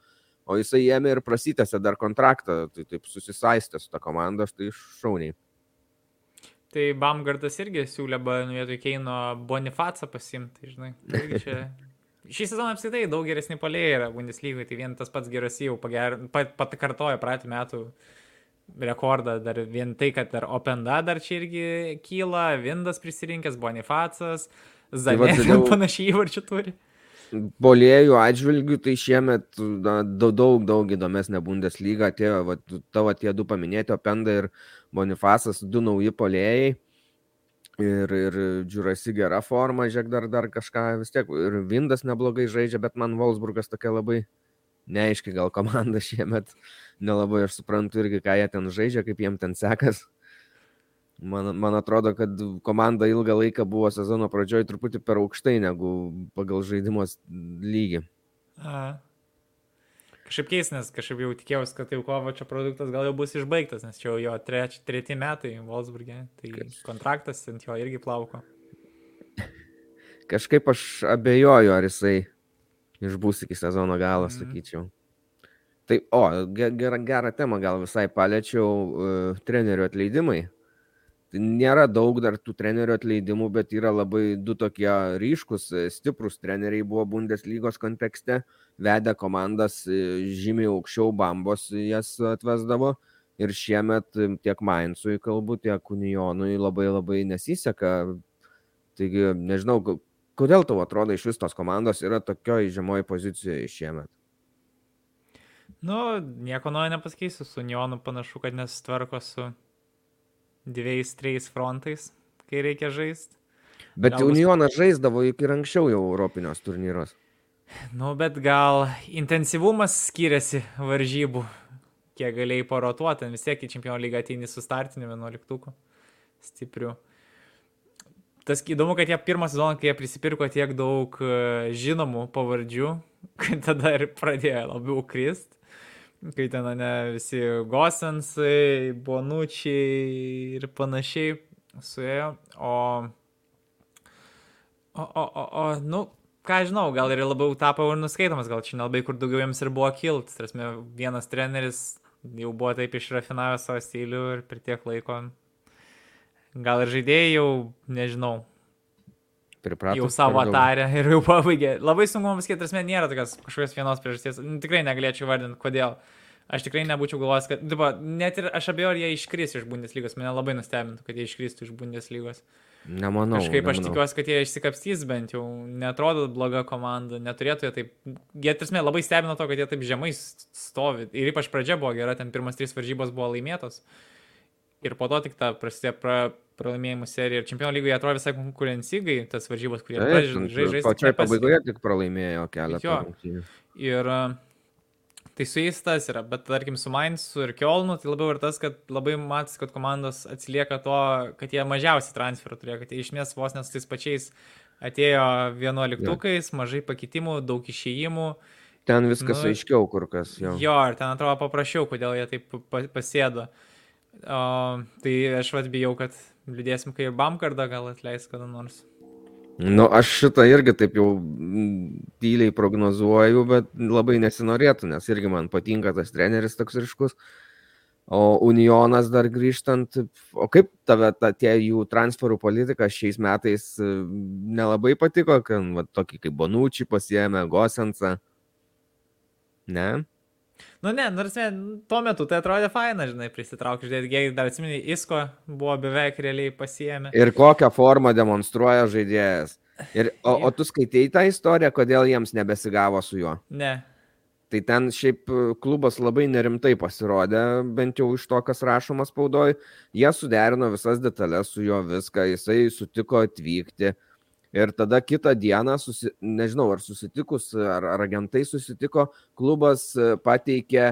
o jisai ėmė ir prasitęsė dar kontraktą, tai taip susisaistė su ta komanda, štai šauniai. Tai Baumgartas irgi siūlė vietoj Keino Bonifacą pasimti, žinai. Irgi čia... Šį sezoną apskritai daug geresni puolėjai yra Bundeslygoje, tai vien tas pats geras jau pager... pat, patkartojo praeitų metų rekordą, dar vien tai, kad dar Openda dar čia irgi kyla, Vindas prisirinkęs, Bonifacas, Zanė tai panašiai įvarčių turi. Puolėjų atžvilgių, tai šiemet na, daug, daug, daug įdomesnė Bundeslyga atėjo, va, tavo tie du paminėti, Openda ir Bonifacas, du nauji puolėjai ir, ir Džiurasi gera forma, žiūrėk, dar, dar kažką vis tiek, ir Vindas neblogai žaidžia, bet man Wolfsburgas tokia labai neaiški gal komanda šiemet, nelabai aš suprantu irgi, ką jie ten žaidžia, kaip jiem ten sekas. Man, man atrodo, kad komanda ilgą laiką buvo sezono pradžioj truputį per aukštai negu pagal žaidimos lygį. A. Kažkaip keis, nes kažkaip jau tikėjausi, kad jau Kovačio produktas gal jau bus išbaigtas, nes čia jau jo treč, treti metai Wolfsburge, tai kontraktas ant jo irgi plauko. Kažkaip aš abejoju, ar jisai išbūs iki sezono galo, mm. sakyčiau. Tai, o, gerą, gerą temą gal visai paliečiau, uh, trenerių atleidimai. Tai nėra daug dar tų trenerių atleidimų, bet yra labai du tokie ryškus, stiprus treneriai buvo Bundeslygos kontekste, vedė komandas žymiai aukščiau Bambos jas atvesdavo ir šiemet tiek Mainzui kalbu, tiek Unionui labai labai nesiseka. Taigi, nežinau, kodėl tau atrodo iš vis tos komandos yra tokioj žemoj pozicijoje šiemet? Nu, nieko naujo nepasakysiu, su Unionu panašu, kad nesitvarko su dviejais, trejais frontais, kai reikia žaisti. Bet gal Unionas bus... žaisdavo juk ir anksčiau jau Europinios turnyros. Nu, bet gal intensyvumas skiriasi varžybų, kiek galėjai porotuoti, vis tiek į Čempionų lygą ateini su startiniu vienuoliktuku stipriu. Tas įdomu, kad jie pirmą sezoną, kai jie prisipirko tiek daug žinomų pavardžių, kad tada ir pradėjo labiau krist. Kai ten, ne, visi Gosensai, Bonučiai ir panašiai suėjo, o, o, o, o, o, nu, ką žinau, gal ir labiau tapo ir nuskaitomas, gal čia nelabai kur daugiau jiems ir buvo kilt, tarsi vienas treneris jau buvo taip išrafinavęs savo stilių ir per tiek laiko, gal ir žaidėjai jau, nežinau, Pripratus, jau savo tarę ir jau pabaigė. Labai sunku mums sakyti, tarsi nėra tokios kažkokios vienos priežasties. Tikrai negalėčiau vardinti, kodėl. Aš tikrai nebūčiau galvojęs, kad... Diba, net ir aš abejoju, ar jie iškris iš Bundeslygos. Mane labai nustebintų, kad jie iškristų iš Bundeslygos. Nemanau. Kažkaip nemanau. Aš tikiuosi, kad jie išsikapstys bent jau. Neatrodo bloga komanda. Neturėtų jie taip... Jie tarsi labai stebino to, kad jie taip žemai stovi. Ir ypač pradžia buvo gera. Ten pirmas trys varžybos buvo laimėtos. Ir po to tik ta prasidėjo pra, pralaimėjimų serija. Ir Čempionų lygoje atrodo visai konkurencingai tas varžybos, kurie žaidžia. Pačioje pabaigoje tik pralaimėjo keletą rungtynių. Ir tai su jais tas yra. Bet tarkim su Mainzu ir Kiolnu, tai labiau ir tas, kad labai matas, kad komandos atsilieka to, kad jie mažiausiai transferų turėjo, kad jie išmės vos nes tais pačiais atėjo vienuoliktukais, ja. Mažai pakitimų, daug išėjimų. Ten viskas nu, aiškiau kur kas. Jo. jo, ir ten atrodo paprašiau, kodėl jie taip pasėdo. O, tai aš vat bijau, kad liūdėsim, kai ir Baumgardą gal atleis kada nors. Nu, aš šitą irgi taip jau tyliai prognozuoju, bet labai nesinorėtų, nes irgi man patinka tas treneris toks ryškus. O Unionas dar grįžtant, o kaip tave ta, tie jų transferų politika šiais metais nelabai patiko, kad va, tokį kaip Bonucci pasiėmė, Gosensą? Ne? Nu ne, nors ne, tuo metu tai atrodė faina, žinai, prisitraukti, žiūrėti, dar atsimeni, Isko buvo beveik realiai pasiėmė. Ir kokią formą demonstruoja žaidėjas. Ir, o, o tu skaitei tą istoriją, kodėl jiems nebesigavo su juo? Ne. Tai ten šiaip klubas labai nerimtai pasirodė, bent jau iš to, kas rašoma spaudoj. Jie suderino visas detalės su juo viską, jisai sutiko atvykti. Ir tada kitą dieną, susi, nežinau, ar susitikus, ar, ar agentai susitiko, klubas pateikė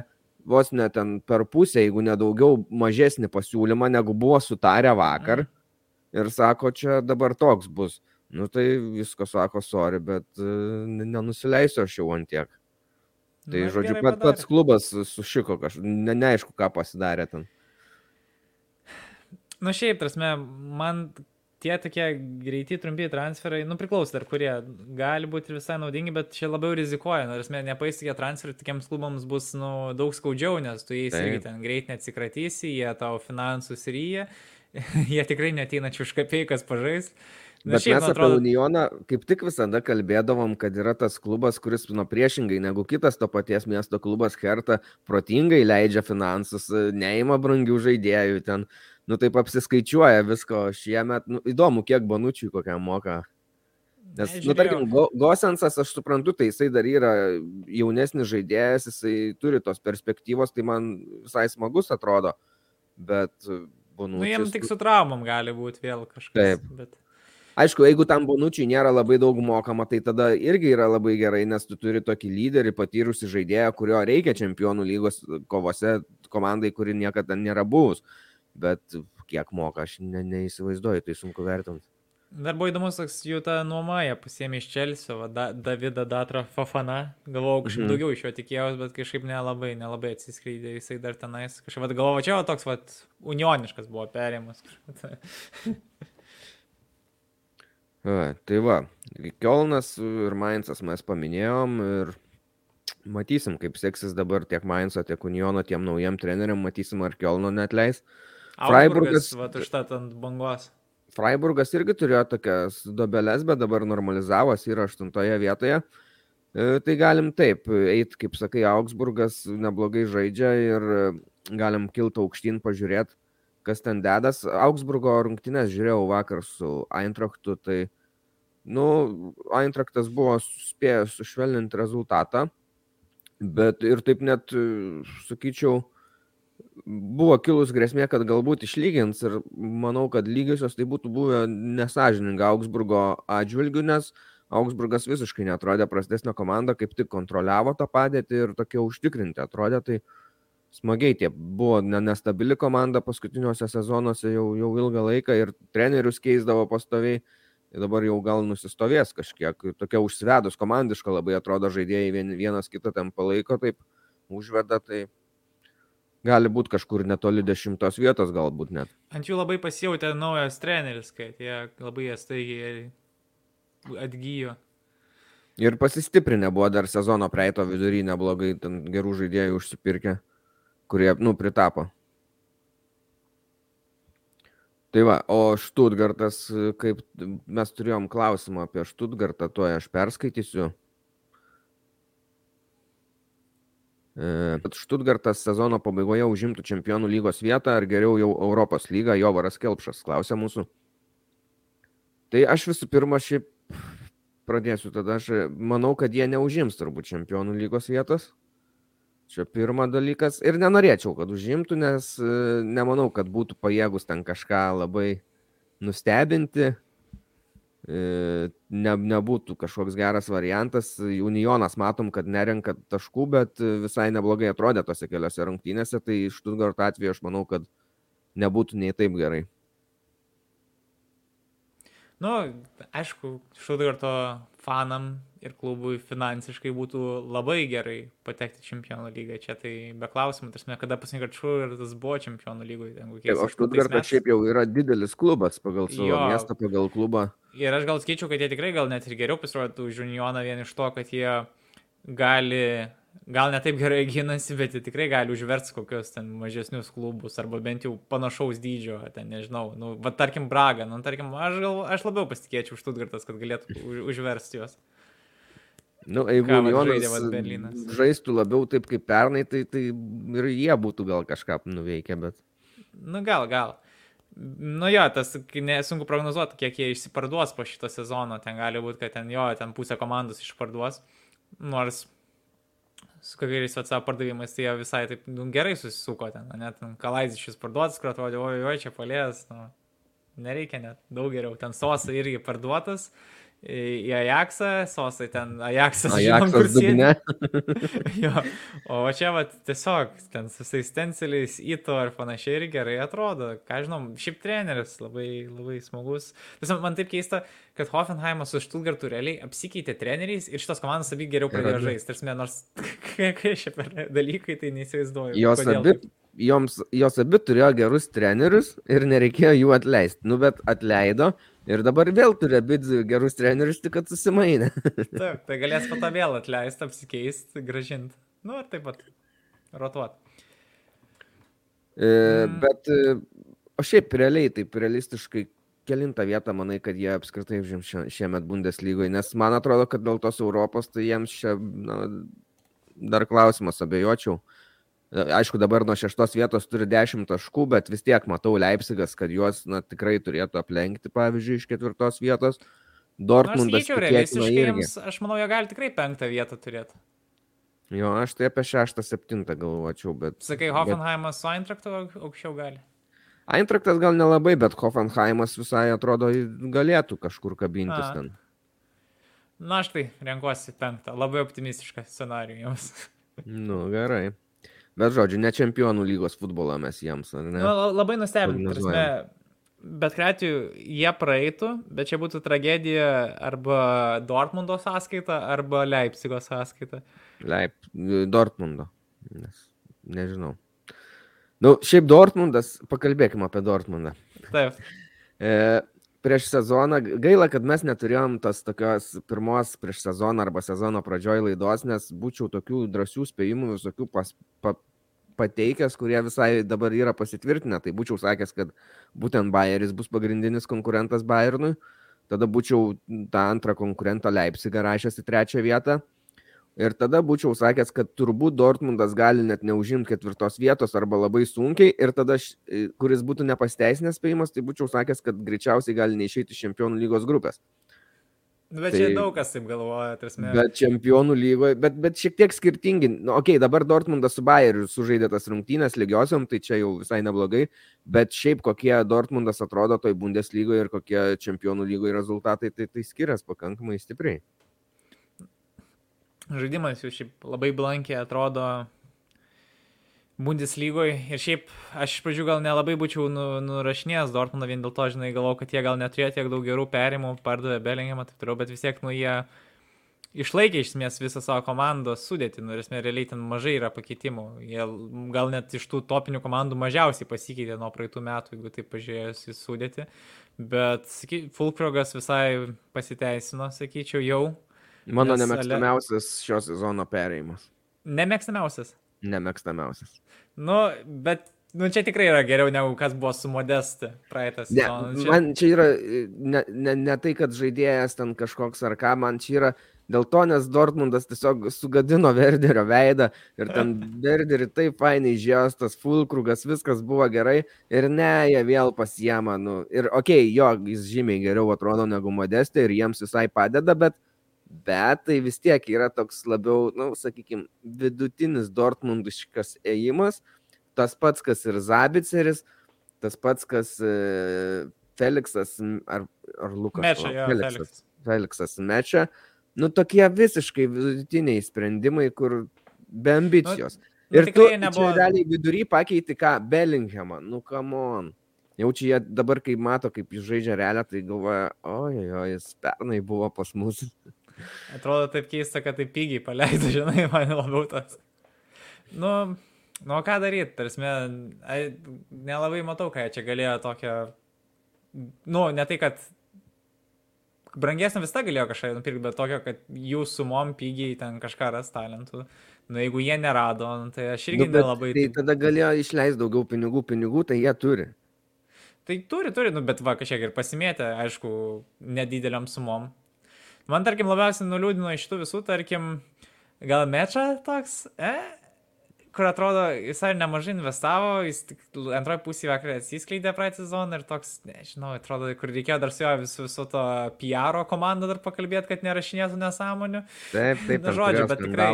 vos ne ten per pusę, jeigu nedaugiau mažesnį pasiūlymą, negu buvo sutarę vakar. Mm. Ir sako, čia dabar toks bus. Nu tai visko sako, sorry, bet uh, nenusileisiu aš jau ant tiek. Tai, Na, žodžiu, gerai pat, padarė. pats klubas sušiko kažkaip, ne, neaišku, ką pasidarė ten. Nu šiaip, prasme, man tie tokie greiti, trumpi transferai, nu priklauso dar kurie, gali būti ir visai naudingi, bet čia labiau rizikuoja. Nu, prasme, nepaistikė transferai, tokiems klubams bus nu, daug skaudžiau, nes tu jais irgi ten greit neatsikratysi, jie tavo finansus ryja, jie tikrai neteina čiuškapeikas pažais. Na, Bet šiaip, mes atrodo... apie Unioną kaip tik visada kalbėdavom, kad yra tas klubas, kuris nuo priešingai negu kitas to paties miesto klubas Hertha protingai leidžia finansus, neima brangių žaidėjų ten, nu taip apsiskaičiuoja visko šiemet, nu įdomu, kiek Bonučiui kokiam moka. Nes, Nežiūrėjau. Nu tarkim, Go, Gosensas, aš suprantu, tai jisai dar yra jaunesnis žaidėjas, jisai turi tos perspektyvos, tai man visai smagus atrodo, bet Bonučius... Nu jiems tik su traumom gali būti vėl kažkas. Taip. Bet... Aišku, jeigu tam Bonučiui nėra labai daug mokama, tai tada irgi yra labai gerai, nes tu turi tokį lyderį, patyrusį žaidėją, kurio reikia čempionų lygos kovose komandai, kuri niekada nėra buvus. Bet kiek moka, aš ne, neįsivaizduoju, tai sunku vertinti. Dar buvo įdomus, toks jų ta nuoma, jie pasiėmė iš Chelsea, va, da, Davidą Datrą Fofana, galvojau, kažkaip mm-hmm. daugiau iš jo tikėjausi, bet kažkaip nelabai, nelabai atsiskleidė, jisai dar tenais, kažkaip galvojau, čia toks, va, unioniškas buvo perėjimas. Va, tai va, Kielnas ir Mainzas mes paminėjom ir matysim, kaip seksis dabar tiek Mainzo, tiek Uniono tiem naujiem treneriam, matysim, ar Kielno neatleis. Freiburgas, va, užtat ant bangos. Freiburgas irgi turėjo tokias dobeles, bet dabar normalizavos, yra aštuntoje vietoje. E, tai galim taip, eit, kaip sakai, Augsburgas neblogai žaidžia ir galim kilti aukštyn pažiūrėti, kas ten dedas. Augsburgo rungtynės žiūrėjau vakar su Eintrachtu, tai nu, Eintrachtas buvo spėjęs sušvelninti rezultatą, bet ir taip net, sakyčiau, buvo kilus grėsmė, kad galbūt išlygins ir manau, kad lygiosios tai būtų buvę nesąžininga Augsburgo atžvilgių, nes Augsburgas visiškai netrodė prastesnė komanda, kaip tik kontroliavo tą padėtį ir tokie užtikrinti atrodė, tai smagiai tie buvo nestabili komanda paskutiniuose sezonuose jau, jau ilgą laiką ir trenerius keisdavo pastoviai. Dabar jau gal nusistovės kažkiek, tokia užsivedus komandiška labai atrodo žaidėjai vien, vienas kitą ten palaiko, taip užveda, tai gali būti kažkur netoli dešimtos vietos galbūt net. Ant jų labai pasijautė naujas treneris, kad jie labai staigiai atgyjo. Ir pasistiprinę buvo dar sezono praeito vidury neblogai, ten gerų žaidėjų užsipirkę, kurie, nu, pritapo. Tai va, o Stuttgartas, kaip mes turėjom klausimą apie Stuttgartą, to aš perskaitysiu. Bet Stuttgartas sezono pabaigoje užimtų čempionų lygos vietą, ar geriau jau Europos lygą, Jovaras Kelpšas klausė mūsų. Tai aš visų pirma šiaip pradėsiu tada, aš manau, kad jie neužims turbūt čempionų lygos vietos. Čia pirma dalykas. Ir nenorėčiau, kad užimtų, nes nemanau, kad būtų pajėgus ten kažką labai nustebinti. Ne, nebūtų kažkoks geras variantas. Unionas matom, kad nerenka taškų, bet visai neblogai atrodė tose keliose rungtynėse. Tai iš Stuttgarto atveju aš manau, kad nebūtų nei taip gerai. Nu, aišku, Stuttgarto fanam ir klubui finansiškai būtų labai gerai patekti čempionų lygą. Čia tai be klausimų, tarsi, kada pasirinkti, kad Stuttgartas buvo čempionų lygoje. O Stuttgartas šiaip jau yra didelis klubas pagal savo jo. Miestą, pagal klubą. Ir aš gal skaičiau, kad jie tikrai gal net ir geriau pasirodytų už Unioną vien iš to, kad jie gali, gal ne taip gerai ginasi, bet jie tikrai gali užversti kokios ten mažesnius klubus, arba bent jau panašaus dydžio, ten nežinau, nu, va tarkim Braga, nu, tarkim, aš, gal, aš labiau pasitikėčiau Stuttgartas, kad galėtų už, užversti juos. Nu, jeigu Unionas žaistų labiau taip kaip pernai, tai, tai ir jie būtų gal kažką nuveikę, bet... Nu, gal, gal. Nu jo, tas nesunku prognozuoti, kiek jie išsiparduos po šito sezono, ten gali būti, kad ten jo, ten pusę komandos išparduos, nors su kokiais atsavo pardavimais, tai jie visai taip nu, gerai susisuko ten, net Kalaizičius parduotas, kur atrodė, oi, oi, čia palės, nu, nereikia net, daug geriau, ten Sosa irgi parduotas, į Ajaxą, sosai ten Ajaxas, žinom, kur Ajaxas sėdi. dugne. Jo, o čia va tiesiog ten su visais stenceliais, įto ir panašiai ir gerai atrodo. Ką žinom, šiaip treneris labai, labai smagus. Tiesiog man taip keista, kad Hoffenheimas su Stuttgartu realiai apsikeitė treneriais ir šitos komandos abi geriau pradėjo žaisti. Tarsi, nors kai šie per dalykai, tai neįsivaizduoju. Jos abi, joms, jos abi turėjo gerus trenerius ir nereikėjo jų atleisti. Nu, bet atleido ir dabar vėl turi abi gerus trenerius, tik kad susimainė. Taip, tai galės po to vėl atleisti, apsikeisti, gražinti. Nu, ir taip pat rotuot. E, mm. Bet, o šiaip realiai, taip realistiškai, kelintą vietą manai, kad jie apskritai žim šiemet Bundeslygoje, nes man atrodo, kad dėl tos Europos, tai jiems čia na, dar klausimas, abejočiau. Aišku, dabar nuo šeštos vietos turi dešimt taškų, bet vis tiek matau Leipzigas, kad juos na, tikrai turėtų aplenkti, pavyzdžiui, iš ketvirtos vietos. Dortmundas tikėtina irgi. Aš manau, jie gali tikrai penktą vietą turėti. Jo, aš tai apie šeštą, septintą galvočiau, bet... Sakai, Hoffenheimas bet... su Eintraktu aukščiau gali? Eintraktas gal nelabai, bet Hoffenheimas visai atrodo galėtų kažkur kabintis A. ten. Na, aš tai renkuosi penktą. Labai optimistišką scenarijų jums. Nu, gerai. Bet žodžiu, ne čempionų lygos futbolą mes jiems, ar ne? Nu, labai nustebim. Bet kreatijų jie praeitų, bet čia būtų tragedija arba Dortmundo sąskaita, arba Leipzigo sąskaita. Leip... Dortmundo. Nes, nežinau. Nu, šiaip Dortmundas, pakalbėkime apie Dortmundą. Taip. E, prieš sezoną, gaila, kad mes neturėjom tos tokios pirmos prieš sezoną arba sezono pradžioj laidos, nes būčiau tokių drąsių spėjimų visokių pas, pa, pateikęs, kurie visai dabar yra pasitvirtinę. Tai būčiau sakęs, kad būtent Bayeris bus pagrindinis konkurentas Bayernui. Tada būčiau tą antrą konkurentą Leipzigą rašęs į trečią vietą. Ir tada būčiau sakęs, kad turbūt Dortmundas gali net neužimti ketvirtos vietos arba labai sunkiai. Ir tada, kuris būtų nepasteisinęs spėjimas, tai būčiau sakęs, kad greičiausiai gali neišeiti iš čempionų lygos grupės. Bet tai, čia daug kas taip galvoja. Tarsi. Bet čempionų lygoje, bet, bet šiek tiek skirtingi. Nu, okei, okay, dabar Dortmundas su Bayeriu sužaidė tas rungtynės lygiosiom, tai čia jau visai neblogai. Bet šiaip kokie Dortmundas atrodo toj Bundeslygoje ir kokie čempionų lygoje rezultatai, tai, tai skirias pakankamai stipriai. Žaidimas jau šiaip labai blankiai atrodo Bundeslygoje ir šiaip aš iš pradžių gal nelabai būčiau nu, nurašinėjęs Dortmundą vien dėl to, žinai, galvau, kad jie gal neturėjo tiek daug gerų perimų, pardavė Bellinghamą, taip toliau, bet vis tiek, nu, jie išlaikė iš esmės visą savo komandos sudėtį, nu, ir esmė realiai ten mažai yra pakeitimų, jie gal net iš tų topinių komandų mažiausiai pasikeitė nuo praeitų metų, jeigu taip pažiūrėjus į sudėtį, bet saky, Fulkrogas visai pasiteisino, sakyčiau, jau. Mano nemėgstamiausias šio sezono perėjimas. Nemėgstamiausias? Nemėgstamiausias. Nu, bet nu, čia tikrai yra geriau negu kas buvo su Modeste praeitą sezoną. Ne, man čia yra ne, ne, ne tai, kad žaidėjas ten kažkoks ar ką, man čia yra dėl to, nes Dortmundas tiesiog sugadino Werderio veidą ir ten Werderį taip fainai žios, tas Fulkrugas, viskas buvo gerai ir ne, jie vėl pasiema. Nu, ir okei, okay, jo, jis žymiai geriau atrodo negu Modeste ir jiems visai padeda, bet Bet tai vis tiek yra toks labiau, na, nu, sakykime, vidutinis dortmundiškas ėjimas, tas pats, kas ir Zabiceris, tas pats, kas e, Feliksas ar, ar Lukas. Mečia, jo, Feliksas, Feliksas Mečia. Nu, tokie visiškai vidutiniai sprendimai, kur be ambicijos. Nu, ir tu nebuvo... čia realiai vidury pakeiti ką? Bellinghamą. Nu, come on. Jau čia jie dabar, kai mato, kaip jis žaidžia realią, tai galvoja, oi, oi, jis pernai buvo pas mus. Atrodo taip keista, kad taip pigiai paleido, žinai, man labiau tas. Nu, nu ką daryti, tarsi, nelabai matau, ką jie čia galėjo tokią, nu, ne tai, kad brangesnė visą galėjo kažką nupirkti, bet tokio, kad jų sumom pigiai ten kažką ras talentų. Nu, jeigu jie nerado, tai aš irgi nu, nelabai... Tai tada galėjo išleisti daugiau pinigų, pinigų, tai jie turi. Tai turi, turi, nu, bet va, kažkiek ir pasimėtė, aišku, nedideliam sumom. Man, tarkim, labiausiai nuliūdino iš tų visų, tarkim, gal Meča toks, e, kur atrodo, jis ar nemažai investavo, jis tik antroji pusė vakarą atsiskleidė praeitą sezoną ir toks, nežinau, atrodo, kur reikėjo dar su jo viso, viso to P R komandą dar pakalbėti, kad nerašinėtų nesąmonių. Taip, taip, na, žodžiu, bet tikrai,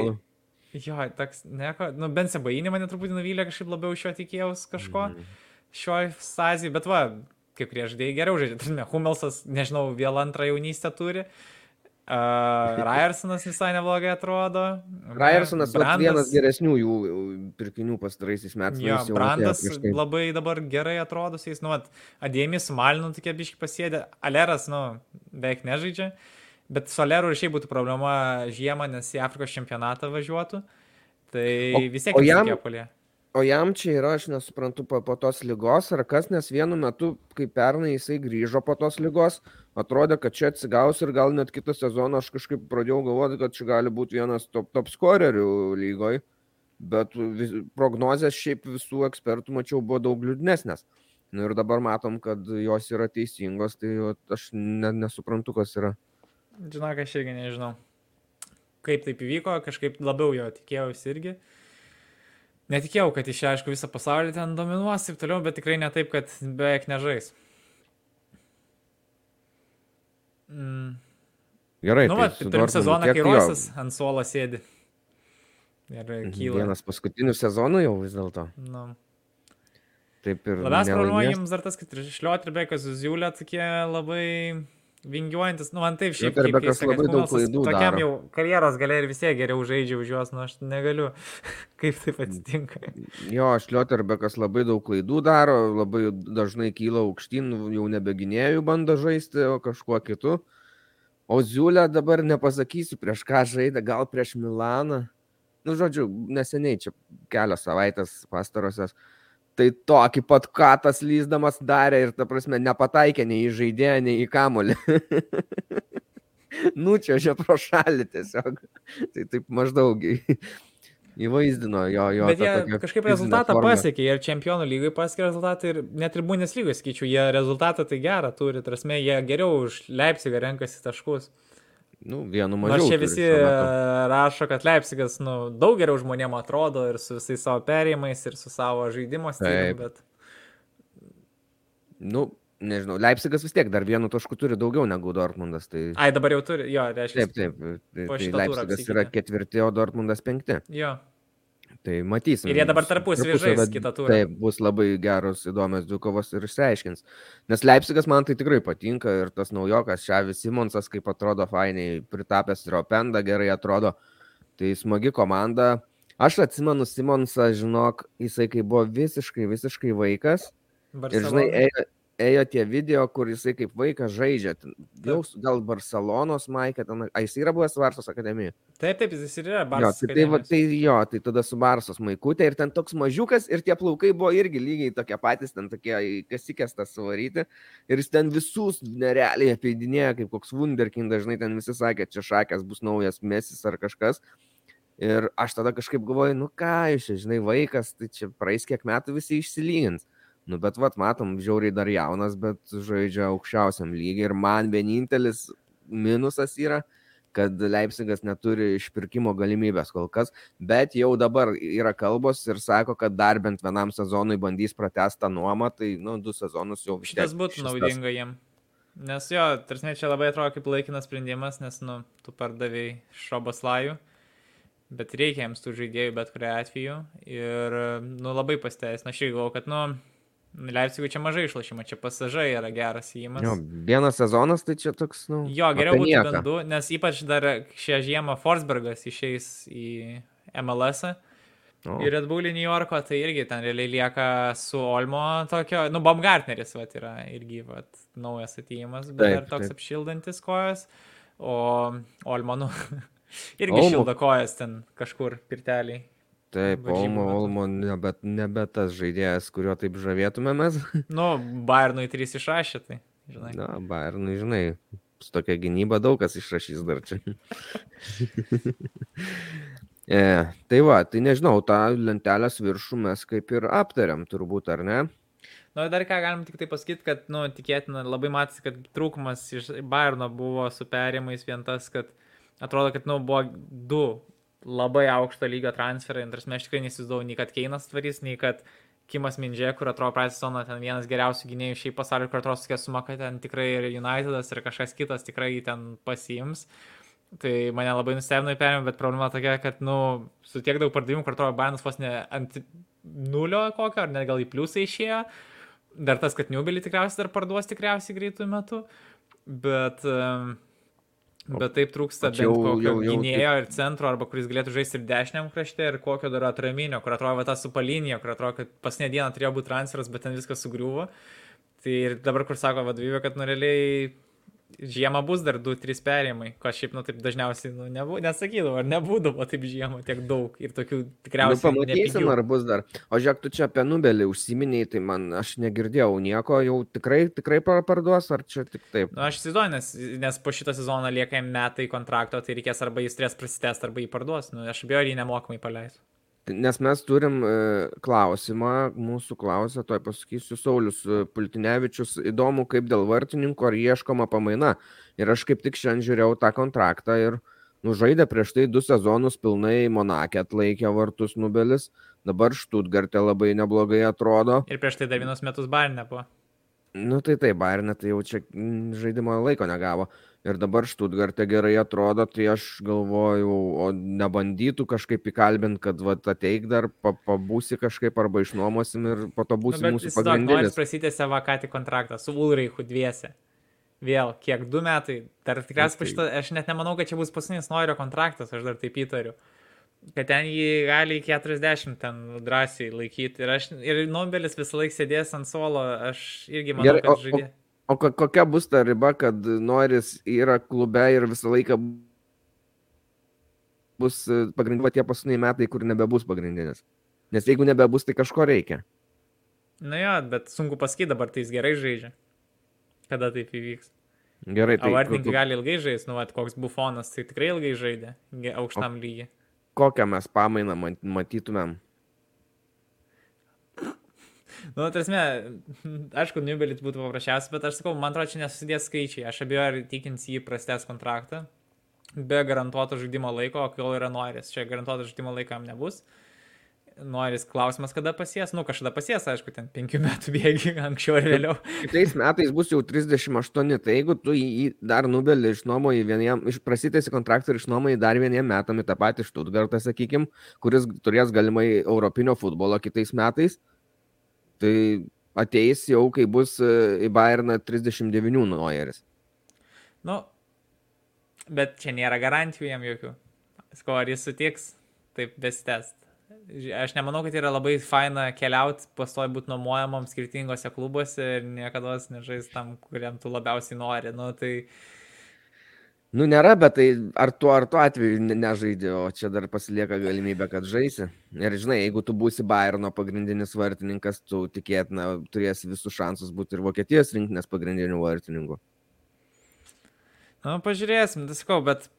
jo, toks, nieko, nu, bent Sebainį mane truputį nuvylė, kažkaip labiau iš jo tikėjaus kažko, mm. šioj stazijai, bet va, kai kurie žaidėjai geriau žaidžia. Tarime, Hummelsas, nežinau, vėl antrą jaunystę turi. Uh, Ryersonas visai neblogai atrodo. Ryersonas vat, vienas geresnių jų pirkinių pastaraisiais metais. Jo, Brandas labai dabar gerai atrodo, jis, nu, Adėmis su Malinu tokie biški pasėdė. Aleras, nu, beveik nežaidžia. Bet su Aleru ir šiaip būtų problema žiemą, nes į Afrikos čempionatą važiuotų. Tai O- vis tiek o jam- jam... polė. O jam čia yra, aš nesuprantu, po, po tos lygos ar kas, nes vienu metu, kai pernai jisai grįžo po tos lygos, atrodė, kad čia atsigaus ir gal net kitą sezoną aš kažkaip pradėjau galvoti, kad čia gali būti vienas top, top scorerių lygoj, bet vis, prognozės šiaip visų ekspertų, mačiau, buvo daug liūdnesnės. Nu ir dabar matom, kad jos yra teisingos, tai vat aš ne, nesuprantu, kas yra. Žinok, aš irgi nežinau, kaip taip įvyko, kažkaip labiau jo tikėjausi irgi. Netikėjau, kad iš aišku visą pasaulį ten dominuos ir toliau, bet tikrai ne taip, kad beveik nežais. Mm. Gerai, Nu, tai va, su turim Dortmundu sezoną, kiek kai jo? Roisas ant suolo sėdi. Ir kyla. Vienas paskutinių sezonų jau vis dėlto. Nu. Taip ir Labiausiai problema nelaimės. jums dar tas, kad Šlioterbekas su Ziulė tokie labai vingiuojantis. Nu, man taip šiaip Šlioterbekas keista, kad labai daug Hummelsas klaidų tokiam daro. jau karjeros gale ir visie geriau žaidžia už juos, nu aš negaliu. Kaip taip atsitinka. Jo, Šlioterbekas labai daug klaidų daro, labai dažnai kyla aukštyn, jau nebeginėjų bando žaisti, o kažkuo kitu. O Ziulė dabar nepasakysiu, prieš ką žaidė, gal prieš Milaną. Nu, žodžiu, neseniai, čia kelios savaitės pastarosios. Tai tokį pat katas lyzdamas darė ir, ta prasme, nepataikė nei į žaidėją, nei į kamuolį. Nučiuožė pro šalį tiesiog. Tai taip maždaug į- įvaizdino jo, jo Bet tą jie tokią kažkaip fizinę rezultatą formą. pasiekė ir čempionų lygai pasiekė rezultatą ir net ir Bundeslygai, skaičiu, jie rezultatą tai gerą turi, tarsi jie geriau už Leipzigą renkasi taškus. Nu, vienu Nors mažiau. čia turi visi šiuo metu. rašo, kad Leipzigas nu, daug geriau žmonėm atrodo ir su visais savo perėjimais ir su savo žaidimo stiliumi, Taip. bet Nu, nežinau, Leipzigas vis tiek dar vienu tašku turi daugiau negu Dortmundas. Tai... ai dabar jau turi, jo, reiškia. Taip, taip. Tai, po tai šito turo Leipzigas yra apsikeitė. ketvirti, o Dortmundas penkti. Jo. Tai matysim. Ir jie dabar tarpusavy Tarpusavy, žais kitą turą. Taip, bus labai geros, įdomios dvikovos ir išsiaiškins. Nes Leipzigas man tai tikrai patinka ir tas naujokas Šavis Simonsas, kaip atrodo fainiai, pritapęs Ropenda, gerai atrodo. Tai smagi komanda. Aš atsimenu Simonsą, žinok, jisai kai buvo visiškai, visiškai vaikas. Ir žinai, ėjo, ėjo tie video, kur jisai kaip vaikas žaidžia. Ten Jau s- gal Barcelonos Maikė, ten, a jis yra buvęs Varsos akademijoje. Taip, taip, jis ir yra Jo, Barsas. tai, tai, va, tai jo, tai tada su Barsos Maikutė ir ten toks mažiukas ir tie plaukai buvo irgi lygiai tokie patys, ten tokie į kasikestas suvaryti. Ir jis ten visus nerealiai apeidinėjo, kaip koks Wunderkind, dažnai ten visi sakė, čia šakės bus naujas Mesis ar kažkas. Ir aš tada kažkaip galvoju, nu ką, jūs čia, žinai, vaikas, tai čia praeis kiek metų visi išsilygins. Nu, bet vat, matom, žiauriai dar jaunas, bet žaidžia aukščiausiam lygiai. Ir man vienintelis minusas yra, kad Leipzigas neturi išpirkimo galimybės kol kas, bet jau dabar yra kalbos ir sako, kad dar bent vienam sezonui bandys pratęsti tą nuomą, tai, nu, du sezonus jau vis tiek Šitas būtų šis tas- naudinga jiem. Nes jo, tarsi čia labai atrodo kaip laikinas sprendimas, nes, nu, tu pardavėjai Šoboslajų, bet reikia jiems tų žaidėjų bet kuriuo atveju. Ir, nu, labai pasteisina. Aš irgi galvoju, kad, nu, Leipzigui čia mažai išlašymo, čia pasažai yra geras įimas. Jo, vienas sezonas, tai čia toks, nu, Jo, geriau apie būtų nieką. bent du, nes ypač dar šią žiemą Forsbergas išeis į M L S -ą. O. į Red Bull New Yorko, tai irgi ten realiai lieka su Olmo tokio, nu, Baumgartneris, vat, yra irgi, vat, naujas atėjimas, bet Taip, dar toks taip. apšildantis kojas, o Olmo, nu, irgi Olmo. šildo kojas ten kažkur pirteliai. Taip, varžybų Olmo, metu. Olmo nebe, nebe tas žaidėjas, kurio taip žavėtumėmės. Nu, Bayernui trys išrašė, tai, žinai. Na, Bayernui, žinai, su tokia gynyba daug kas išrašys dar čia. e, tai va, tai nežinau, tą lentelės viršų mes kaip ir aptariam, turbūt, ar ne? Nu, dar ką galim tik tai pasakyti, kad, nu, tikėtina, labai matys, kad trūkumas iš Bayerno buvo su perėjimais vien tas, kad atrodo, kad, nu, buvo du labai aukšto lygio transferai, ir aš tikrai nesizduoju, nei kad Keinas tvarys, nei kad Kimas Mindžė, kur atrodo praeitą sezoną ten vienas geriausių gynėjų šiaip pasaulio, kur atrodo tokia suma, kad ten tikrai ir Unitedas ir kažkas kitas tikrai jį ten pasiims. Tai mane labai nustebino į perėjimą, bet problema tokia, kad, nu, su tiek daug pardavimų, kur atrodo Bayernas vos ne ant nulio kokio, ar net gal į pliusą išėjo, dar tas, kad Newbelį tikriausiai dar parduos tikriausiai greitų metų, bet, bet taip trūksta bent jau, kokio jau, jau, gynėjo ir centro, arba kuris galėtų žaisti ir dešiniam krašte, ir kokio dar atraminio, kur atrodo va, ta su palinija, kur atrodo, kad paskutinę dieną turėjo būti transferas, bet ten viskas sugriuvo. Tai ir dabar, kur sako vadovybė, kad nu realiai žiemą bus dar du trys perėjimai, ko šiaip, nu, taip dažniausiai, nu, nebū, nesakydavo, ar nebūdavo taip žiemą tiek daug ir tokių tikriausiai nu, pamatysim, ar bus dar. O žiūrėk, tu čia apie Nubelį užsiminiai, tai man, aš negirdėjau nieko, jau tikrai, tikrai parduos, ar čia tik taip? Nu, aš įsivaizduoju, nes, nes po šitą sezoną lieka jam metai kontrakto, tai reikės arba jis turės prasitęsti, arba jį parduos. Nu, aš abejoju, jį nemokamai paleis. Nes mes turim e, klausimą, mūsų klausė, toj pasakysiu, Saulius Pultinevičius, įdomu, kaip dėl vartininko ar ieškoma pamaina. Ir aš kaip tik šiandien žiūrėjau tą kontraktą ir nužaidė prieš tai du sezonus pilnai Monake, atlaikė vartus Nubelis, dabar Štutgarte labai neblogai atrodo. Ir prieš tai dar vienus metus Bayerne buvo. Nu tai taip, Bayerne tai jau čia žaidimo laiko negavo. Ir dabar Štutgarte gerai atrodo, tai aš galvoju, o nebandytų kažkaip įkalbinti, kad vat, ateik dar, pabūsi kažkaip arba išnuomosim ir po to būsi nu, mūsų pagrindinis. Bet jis prasitęsė vakatį kontraktą su Ulreichu dviese. Vėl, kiek, du metai. Dar tikriausiai, šitą, aš net nemanau, kad čia bus paskutinis Noirio kontraktas, aš dar taip įtariu. Kad ten jį gali keturiasdešimt ten drąsiai laikyti. Ir, aš, ir Nubelis visą laiką sėdės ant suolo, aš irgi manau, Gerai, kad o, žaidė. O, o kokia bus ta riba, kad Noiris yra klube ir visą laiką bus pagrindinė tie paskutiniai metai, kur nebebus pagrindinis? Nes jeigu nebebus, tai kažko reikia. Na jo, bet sunku pasakyti, dabar tai jis gerai žaidžia. Kada taip įvyks? Gerai, tai... O vartininkai gali ilgai žaisti, nu, at, koks Bufonas, tai tikrai ilgai žaidė, aukštam lygiai. Kokią mes pamainą matytumėm? Nu, tarsi, aišku, Nubelis būtų paprasčiausias, bet aš sakau, man atrodo, čia nesusidės skaičiai. Aš abejoju, ar tikins jį prastęs kontraktą, be garantuoto žaidimo laiko, o kol yra Noiris. Čia garantuoto žaidimo laikam nebus. Noiris klausimas, kada pasies. Nu, kažkada pasies, aišku, ten penkių metų bėgi, anksčiau ar vėliau. Kitais metais bus jau trisdešimt aštuoni, tai jeigu tu jį dar Nubelį išnuomoji vieniem, prasitęsi kontraktą ir išnuomoji dar vieniem metam į tą patį Štutgartą, sakykim, kuris turės galimai europinio futbolo kitais metais, tai ateis jau, kai bus į Bayerną trisdešimt devynių Noiris. Nu, bet čia nėra garantijų jam jokių. Sko, ar jis sutiks taip besitęst. Aš nemanau, kad yra labai faina keliauti, pastoji būti nuomojamam skirtingose klubuose ir niekada nežais tam, kuriam tu labiausiai nori. Nu, tai... Nu, nėra, bet tai ar tu ar tu atveju nežaidži, o čia dar pasilieka galimybė, kad žaisi. Ir žinai, jeigu tu būsi Bayerno pagrindinis vartininkas, tu tikėtina turėsi visus šansus būti ir Vokietijos rinktinės pagrindinių vartininkų. Nu, pažiūrėsim, tai sakau, bet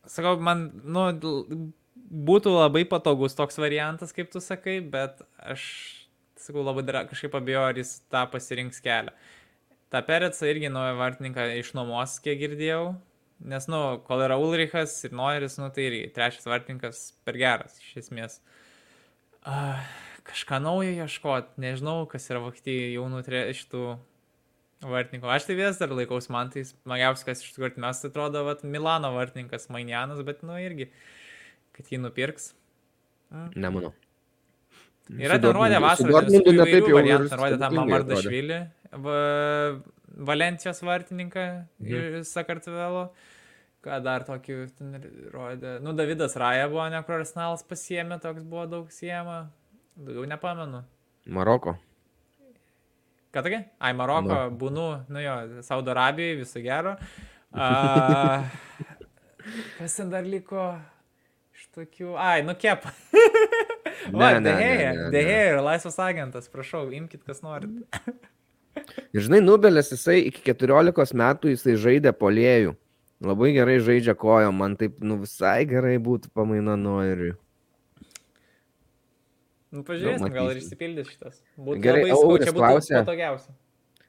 sakau, man, nu, būtų labai patogus toks variantas, kaip tu sakai, bet aš, sakau, labai dar kažkaip abejoju, ar jis tą pasirinks kelią. Ta Perecą irgi naują vartininką išnuomos, kiek girdėjau, nes, nu, kol yra Ulrichas ir Noiris, nu, tai irgi trečias vartininkas per geras, iš esmės. Uh, kažką naujo ieškot, nežinau, kas yra Vokietijai jaunų šitų vartininkų. Aš tai vis dar laikaus, man tai smagiausias, kas iš tikrųjų mes atrodo, vat, Milano vartininkas Mainianas, bet, nu, irgi kad jį nupirks. Mm. Nemanau. Yra ten rodė vasarą, visokių įvairių variantų. Rodė tą Mamardašvilį, va, Valencijos vartininką mm. iš Sakartvelo. Ką dar tokį rodė? Nu, Davidas Raja buvo, ne, kur Arsenalas pasiėmė, toks buvo daug siema. Daugiau nepamenu. Maroko. Ką tokia? Ai, Maroko, no. Būnu, nu jo, Saudo Arabijai, viso gero. A, kas ten dar liko? Tokių... Ai, nu kep. Va, Dehėja, Dehėja yra laisvas agentas, prašau, imkit, kas norit. Ir žinai, Nubelis, jisai iki keturiolikos metų jisai žaidė puolėjų. Labai gerai žaidžia kojom, man taip, nu, visai gerai būtų pamaina Noiriui. Nu, pažiūrėsim, gal ir išsipildys šitas. Būtų gerai, labai skau, čia būtų klausė... patogiausia.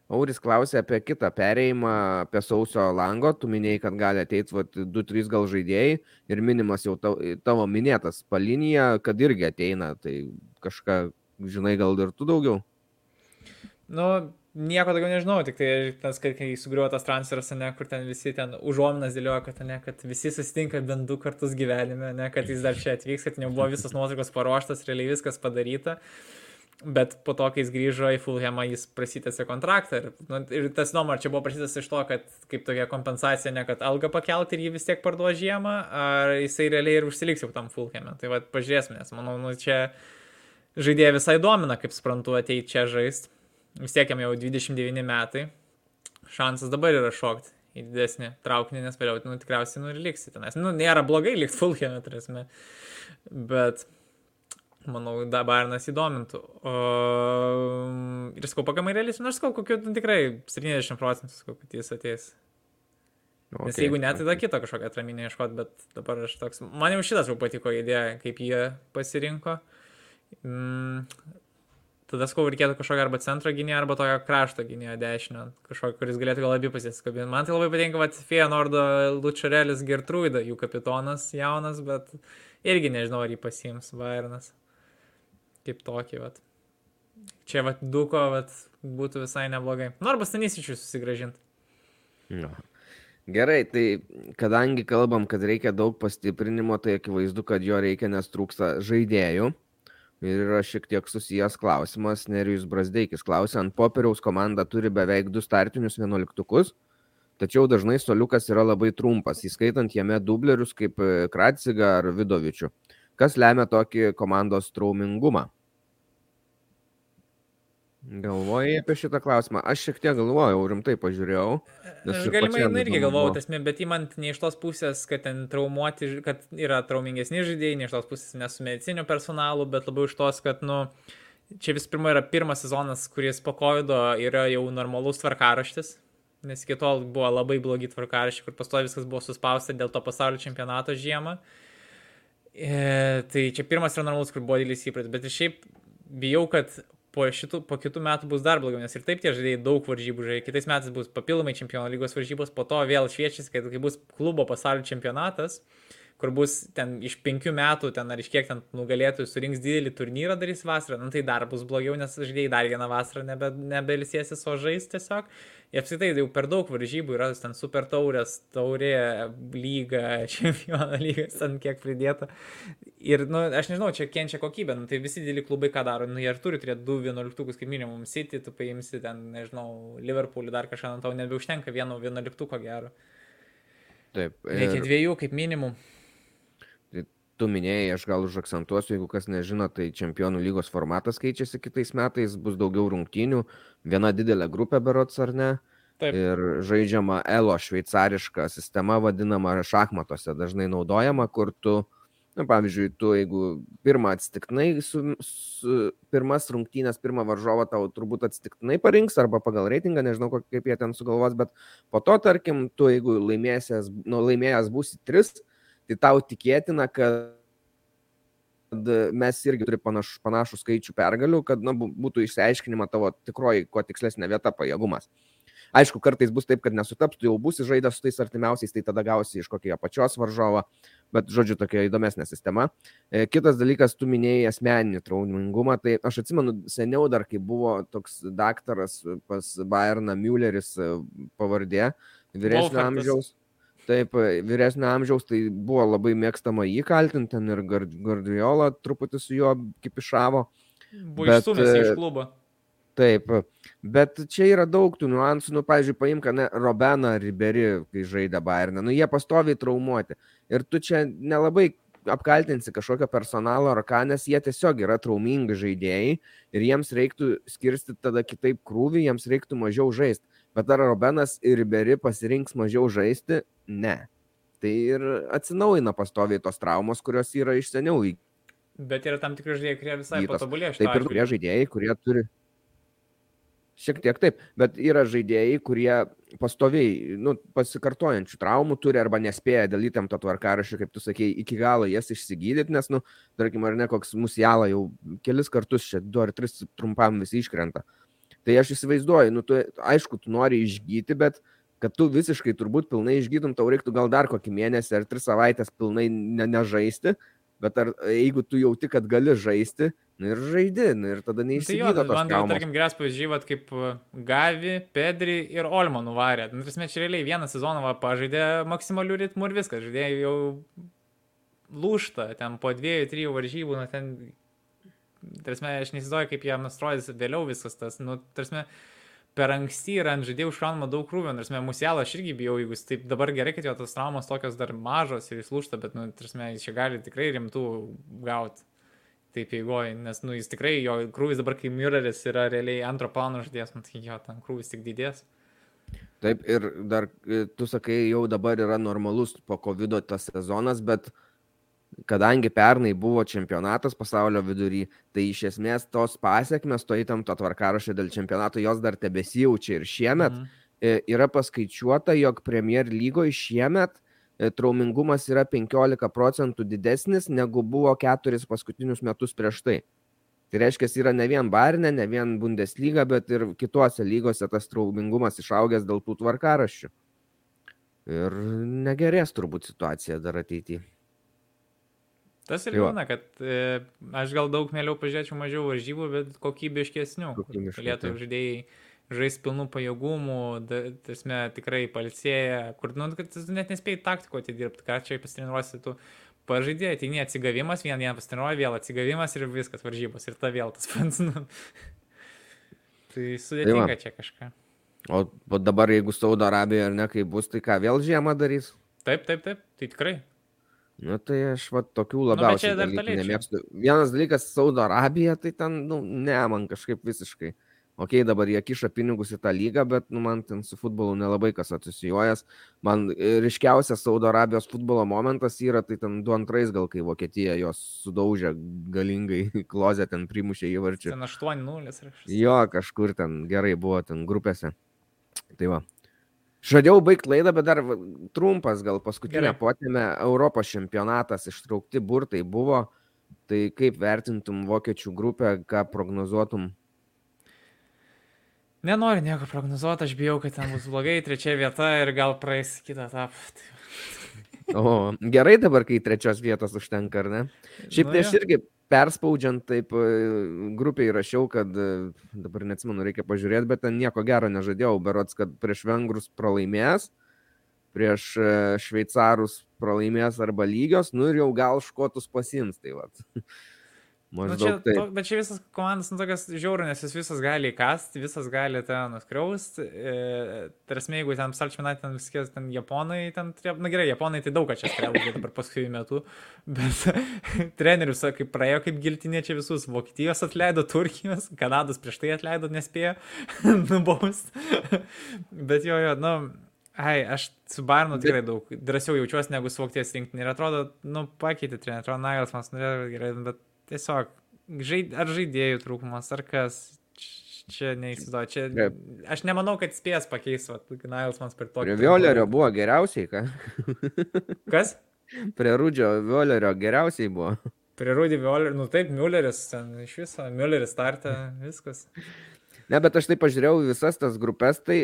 Auris klausė apie kitą perėjimą, apie sausio lango. Tu minėjai, kad gali ateiti du trys gal žaidėjai ir minimas jau tavo minėtas Palinija, kad irgi ateina. Tai kažką, žinai, gal ir tu daugiau? Nu, nieko daugiau nežinau, tik tai tas, kai sugriuvo tas transferas, ne, kur ten visi ten užuominas dėlioja, kad, ne, kad visi susitinka bent du kartus gyvenime, ne, kad jis dar čia atvyks, kad nebuvo visas nuotraukos paruoštas, realiai viskas padaryta. Bet po to, kai jis grįžo į Fulhamą, jis prasitėsi kontraktą. Ir, nu, ir tas įdomu, ar čia buvo prasitęs iš to, kad kaip tokia kompensacija, ne kad algą pakelti ir jį vis tiek parduos žiemą, ar jisai realiai ir užsiliks jau tam Fulham'e. Tai va, pažiūrėsime, nes manau, nu, čia žaidėja visai domina, kaip suprantu, ateiti čia žaisti. Vis tiek jam jau dvidešimt devyni metai. Šansas dabar yra šokti į didesnį traukinį, nes vėliau, nu, tikriausiai, nu, ir liksi tenais. Nu, nėra blogai likti Fulham'e, turėsime. Bet manau, da Bayernas įdomintų. O, ir sakau, pakamai realiai, nors sakau, kokiu nu, tikrai septyniasdešimt procentų, sakau, kad jis ateis. Okay, nes jeigu ne, tai da kitą kažkokią atraminę ieškot, bet dabar aš toks, man jau šitas jau patiko idėja, kaip jie pasirinko. Mm, tada sakau, reikėtų kažkokio arba centro gynėjo, arba tokio krašto gynėjo dešinio, kažkokio, kuris galėtų gal abi pasiskabinti. Man tai labai patinka, kad Feyenoordo Lučarelis Gertruida, jų kapitonas jaunas, bet irgi nežinau, ar jį pasiims Bayernas. Kaip tokį, vat. Čia, vat, Duko, vat, būtų visai neblogai. Nu, arba Stanisičiui susigražinti. No. Gerai, tai kadangi kalbam, kad reikia daug pastiprinimo, tai akivaizdu, kad jo reikia, nes trūksta žaidėjų. Ir yra šiek tiek susijęs klausimas, Nerijus Brazdeikis klausė, ant popieriaus komanda turi beveik du startinius vienuoliktukus, tačiau dažnai suoliukas yra labai trumpas, įskaitant jame dublerius kaip Kratsiga ar Vidovičių. Kas lemia tokį komandos traumingumą? Galvojai apie šitą klausimą? Aš šiek tiek galvojau, rimtai pažiūrėjau. Aš galimai nu, irgi galvojau, tasme, bet įmant ne iš tos pusės, kad ten traumuoti, kad yra traumingesni žaidėjai, ne iš tos pusės ne su mediciniu personalu, bet labiau iš tos, kad, nu, čia vis pirma yra pirmas sezonas, kuris po kovido yra jau normalus tvarkaraštis, nes iki tol buvo labai blogi tvarkaraščiai, kur pastovi viskas buvo suspausta dėl to pasaulio čempionato žiemą. E, tai čia pirmas yra normalus, kur buvo didelis įpratis, bet ir šiaip bijau, kad po, šitų, po kitų metų bus dar blogiau, nes ir taip tie žaidėjai daug varžybų žaidėjai, kitais metais bus papildomai čempionų lygos varžybos, po to vėl šviečiasi, kad kai bus klubo pasaulio čempionatas, kur bus ten iš penkių metų, ten ar iš kiek ten nugalėtojų surinks didelį turnyrą darys vasarą, nu tai dar bus blogiau, nes žaidėjai dar vieną vasarą nebe, nebelisėsis, o žais tiesiog. Ir apskritai jau per daug varžybų yra ten super taurės, taurė, lyga, čempionų lygas, ten kiek pridėta. Ir, nu, aš nežinau, čia kenčia kokybė, nu, tai visi dideli klubai ką daro, nu, jie ir turi turėti du vienuoliktukus kaip minimum, City, tu paimsi ten, nežinau, Liverpoolį dar kažką, nu, tau nebeužtenka vieno vienuoliktuko gero. Taip. Reikia ir... dviejų kaip minimum. Tu minėjai, aš gal užakcentuosiu, jeigu kas nežino, tai čempionų lygos formatas keičiasi kitais metais, bus daugiau rungtynių, viena didelė grupė berods ar ne, Taip. Ir žaidžiama elo šveicariška sistema vadinama šachmatuose, dažnai naudojama, kur tu, na, pavyzdžiui, tu jeigu pirmą atsitiktinai, su, su, pirmas rungtynės, pirmą varžovą tau turbūt atsitiktinai parinks arba pagal reitingą, nežinau kaip jie ten sugalvos, bet po to, tarkim, tu jeigu laimėjęs, nu, laimėjęs būsi tris, tai tau tikėtina, kad mes irgi turi panašų, panašų skaičių pergalių, kad na, būtų išsiaiškinima tavo tikroji, kuo tikslesnė vieta pajėgumas. Aišku, kartais bus taip, kad nesutaps, tu jau būsi žaidęs su tais artimiausiais, tai tada gausi iš kokio apačios varžovo, bet žodžiu, tokia įdomesnė sistema. Kitas dalykas, tu minėjai asmeninį traumingumą, tai aš atsimenu seniau dar, kai buvo toks daktaras pas Bayerną Mülleris pavardė, vyresnio amžiaus. Taip, vyresnio amžiaus, tai buvo labai mėgstama jį kaltinti, ten ir Guardiola truputį su juo kipišavo. Buvo išstumęs iš klubo. Taip, bet čia yra daug tų niuansų, nu, pavyzdžiui, paimk, ne, Robeną Ribery, kai žaidė Bayerną, nu, jie pastoviai traumuoti. Ir tu čia nelabai apkaltinsi kažkokio personalo ar ką, nes jie tiesiog yra traumingi žaidėjai ir jiems reiktų skirstyti tada kitaip krūvį, jiems reiktų mažiau žaisti. Bet ar Robenas ir Ribery pasirinks mažiau žaisti? Ne. Tai ir atsinaujina pastoviai tos traumos, kurios yra iš seniau. Bet yra tam tikri žaidėjai, kurie visai patobulėjo šitą. Taip ir kurie žaidėjai, kurie turi... Šiek tiek taip, bet yra žaidėjai, kurie pastoviai, nu, pasikartojančių traumų turi arba nespėja dėl įtempto tvarkaraščio, kaip tu sakei, iki galo jas išsigydyti, nes, nu, tarkim, ar ne, koks Musiala jau kelis kartus čia, du ar tris trumpam visi iškrenta. Tai aš įsivaizduoju, nu, tu, aišku, tu nori išgyti, bet kad tu visiškai turbūt pilnai išgytum, tau reiktų gal dar kokį mėnesį ar tris savaitės pilnai ne, nežaisti, bet ar, jeigu tu jauti, kad gali žaisti, nu ir žaidi, nu ir tada neįsigydo tos traumos. Man, tarkim, geras pavyzdžiai, kaip Gavi, Pedri ir Olmo nuvarė. Nu, tarsi, čia realiai vieną sezoną va, pažaidė maksimalių ritmų ir viskas, žaidėjai jau lūžta, ten po dviejų, trijų varžybų, nu, ten tarsi, aš neįsivaizduoju, kaip jam atrodys vėliau viskas tas, nu, tarsi, per anksti yra ant žaidėjų užkraunama daug krūvio, nors mes Musialą aš irgi bijau, jeigu jis taip dabar gerai, kad jo tos traumos tokios dar mažos ir jis lūžta, bet, nu, tarsi, jis čia gali tikrai rimtų gauti taip eigoje, nes, nu, jis tikrai, jo krūvis dabar, kai Mülleris yra realiai antro plano žaidėjas, nu, tai jo, ten krūvis tik didės. Taip, ir dar, tu sakai, jau dabar yra normalus po kovido tas sezonas, bet kadangi pernai buvo čempionatas pasaulio vidury, tai iš esmės tos pasiekmes, to įtamto tvarkaraščio dėl čempionato, jos dar tebesijaučia ir šiemet mhm. yra paskaičiuota, jog Premier lygoje šiemet traumingumas yra penkiolika procentų didesnis, negu buvo keturis paskutinius metus prieš tai. Tai reiškia, yra ne vien Bayerne, ne vien Bundesliga, bet ir kitose lygose tas traumingumas išaugęs dėl tų tvarkaraščių. Ir negerės turbūt situacija dar ateityje. Tas ir liūdna, kad e, aš gal daug mieliau pažiūrėčiau mažiau varžybų, bet kokybiškesnių. Galėtų žaidėjai žaisti pilnų pajėgumų, tasme, tikrai palsėję, kur nu, kad net nespėjai taktiko atidirbti, ką čia pasitreniruosi, tu pažaidėjai, tai ne atsigavimas, vien vieną pasitreniruoji, vėl atsigavimas ir viskas varžybos, ir ta vėl tas pats. Nu. Tai sudėtinga tai čia kažką. O, o dabar, jeigu Saudo Arabija ar ne, kai bus, tai ką, vėl žiemą darys? Taip, taip, taip, tai tikrai. Nu, tai aš va tokių labiausiai nu, dalykų nemėgstu. Vienas dalykas, Saudo Arabija, tai ten, nu, ne, man kažkaip visiškai. Ok, dabar jie kiša pinigus į tą lygą, bet, nu, man ten su futbolu nelabai kas asocijuojas. Man ryškiausias Saudo Arabijos futbolo momentas yra, tai ten du antrais gal, kai Vokietija jos sudaužė galingai klozę, ten primušė įvarčių. Ten aštuoni nulis. Jo, kažkur ten gerai buvo, ten grupėse. Tai va. Žadėjau baigti laidą, bet dar trumpas gal paskutinę potėmę. Europos čempionatas ištraukti burtai buvo. Tai kaip vertintum vokiečių grupę, ką prognozuotum? Nenoriu nieko prognozuoti, aš bijau, kad ten bus blogai, trečia vieta ir gal praeis kitą etapą. O, gerai dabar, kai trečios vietos užtenka, ar ne? Šiaip nu, tai aš irgi perspaudžiant taip grupiai rašiau, kad dabar neatsimenu, reikia pažiūrėti, bet ten nieko gero nežadėjau, berods, kad prieš vengrus pralaimės, prieš šveicarus pralaimės arba lygios, nu ir jau gal škotus pasiims, tai vat. Nu, čia, to, bet čia visas komandas, nu, tokias žiaurų, nes jis visas gali įkasti, visas gali ten nuskriausti. E, tarsi, jeigu ten salčminat, ten viskės, ten japonai, ten, na gerai, japonai tai daug ką čia skriaugia dabar paskui metu, bet trenerius, kaip praėjo kaip giltinė čia visus, Vokietijos atleido, Turkijos, Kanados prieš tai atleido, nespėjo nubaust. Bet jo, jo, nu, ai, aš su Bayernu tikrai daug drąsiau jaučiuosi negu su Vokietijos rinktinė ir atrodo, nu, pakeitė trenerių, atrodo, Nagelsmanas norėjo gerai, bet tiesiog, žaid, ar žaidėjų trūkumas, ar kas, čia neįsivaizduoju, čia, aš nemanau, kad spės pakeis, va, Nagelsmanas per tokį. Prie Violerio buvo geriausiai, ką? Kas? Prie Rudžio Violerio geriausiai buvo. Prie Rudį Violerio, nu taip, Mülleris, ten iš viso, Mülleris startė, viskas. Ne, bet aš taip pažiūrėjau visas tas grupės, tai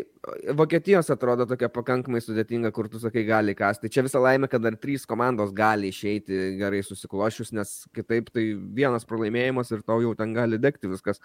Vokietijos atrodo tokia pakankamai sudėtinga, kur tu sakai gali kasti. Čia visą laimę, kad dar trys komandos gali išeiti gerai susiklošius, nes kitaip tai vienas pralaimėjimas ir tau jau ten gali degti viskas.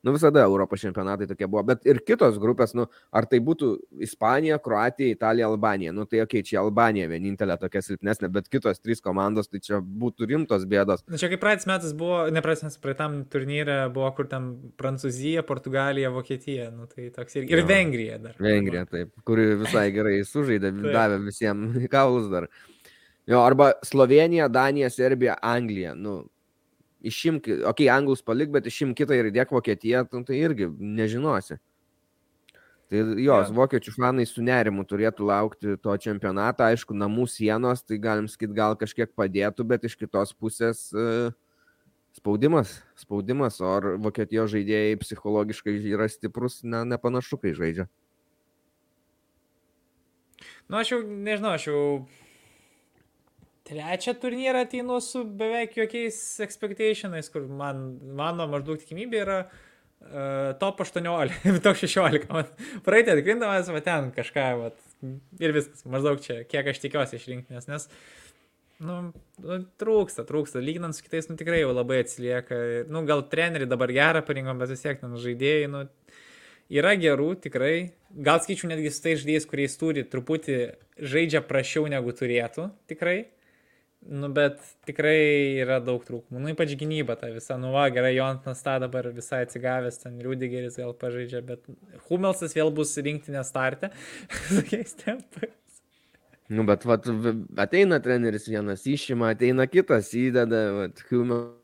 Nu visada Europos čempionatai tokie buvo, bet ir kitos grupės, nu ar tai būtų Ispanija, Kroatija, Italija, Albanija, nu tai okei, okay, čia Albanija vienintelė tokia silpnesnė, bet kitos trys komandos, tai čia būtų rimtos bėdos. Na čia kaip praeitis metas buvo, ne praeitis metas, praeitam turnyre buvo, kur ten Prancūzija, Portugalija, Vokietija, nu tai toks ir, ir Vengrija dar. Vengrija, taip, kuri visai gerai sužaidė, davė visiems kaulus dar. Jo, arba Slovenija, Danija, Serbija, Anglija, nu išimk, okei, okay, anglus palik, bet išimk kitą ir įdėk Vokietiją, tai irgi nežinosi. Tai jos, ja. Vokiečių fanai su nerimu turėtų laukti to čempionatą, aišku, namų sienos, tai galim sakyti, gal kažkiek padėtų, bet iš kitos pusės uh, spaudimas, spaudimas, o ar Vokietijos žaidėjai psichologiškai yra stiprus, ne, nepanašu, kai žaidžia. Nu, aš jau, nežinau, aš jau trečią turnyrą ateinu su beveik jokiais expectationais, kur man, mano maždaug tikimybė yra uh, top aštuoniolika, top šešiolika. Praeitį atkrindamas, va ten kažką, va, ir viskas, maždaug čia, kiek aš tikiuosi iš rinktinės, nes, nu, nu, trūksta, trūksta, lyginant su kitais, nu, tikrai jau labai atsilieka. Nu, gal treneriai dabar gerą parinkom, bet vis tiek, nu, žaidėjai, nu, yra gerų, tikrai. Gal skaičiu netgi su tais žaidėjais, kuriais turi, truputį žaidžia prašiau negu turėtų, tikrai. Nu, bet tikrai yra daug trūkumų. Nu, ypač gynyba ta visa. Nu, va, gerai, Jonathanas tą dabar visai atsigavęs, ten Rudigeris gal pažaidžia, bet Hummelsas vėl bus rinktinė starte. Tokiais tempais. Nu, bet vat, ateina treneris vienas išima, ateina kitas įdeda, vat, Hummelsas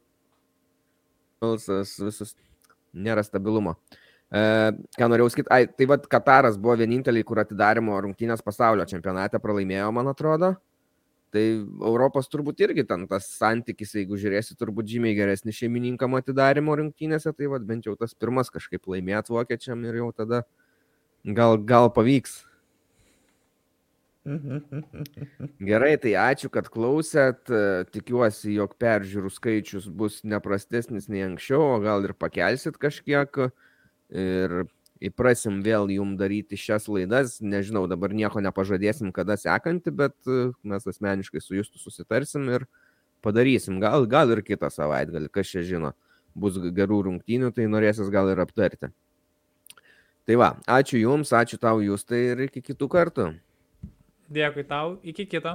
visus, nėra stabilumo. E, ką norėjau sakyti, ai, tai vat Kataras buvo vieninteliai, kur atidarimo rungtynės pasaulio čempionate pralaimėjo, man atrodo. Tai Europos turbūt irgi ten tas santykis, jeigu žiūrėsi, turbūt žymiai geresnį šeimininkam atidarimo rungtynėse, tai vat bent jau tas pirmas kažkaip laimėt vokiečiam ir jau tada gal, gal pavyks. Gerai, tai ačiū, kad klausėt. Tikiuosi, jog peržiūrų skaičius bus neprastesnis nei anksčiau, o gal ir pakelsit kažkiek. Ir įprasim vėl jum daryti šias laidas. Nežinau, dabar nieko nepažadėsim, kada sekanti, bet mes asmeniškai su Justu susitarsim ir padarysim. Gal, gal ir kitą savaitgalį, kas čia žino. Bus gerų rungtynių, tai norėsis gal ir aptarti. Tai va, ačiū jums, ačiū tau Justai ir iki kitų kartų. Dėkui tau, iki kito.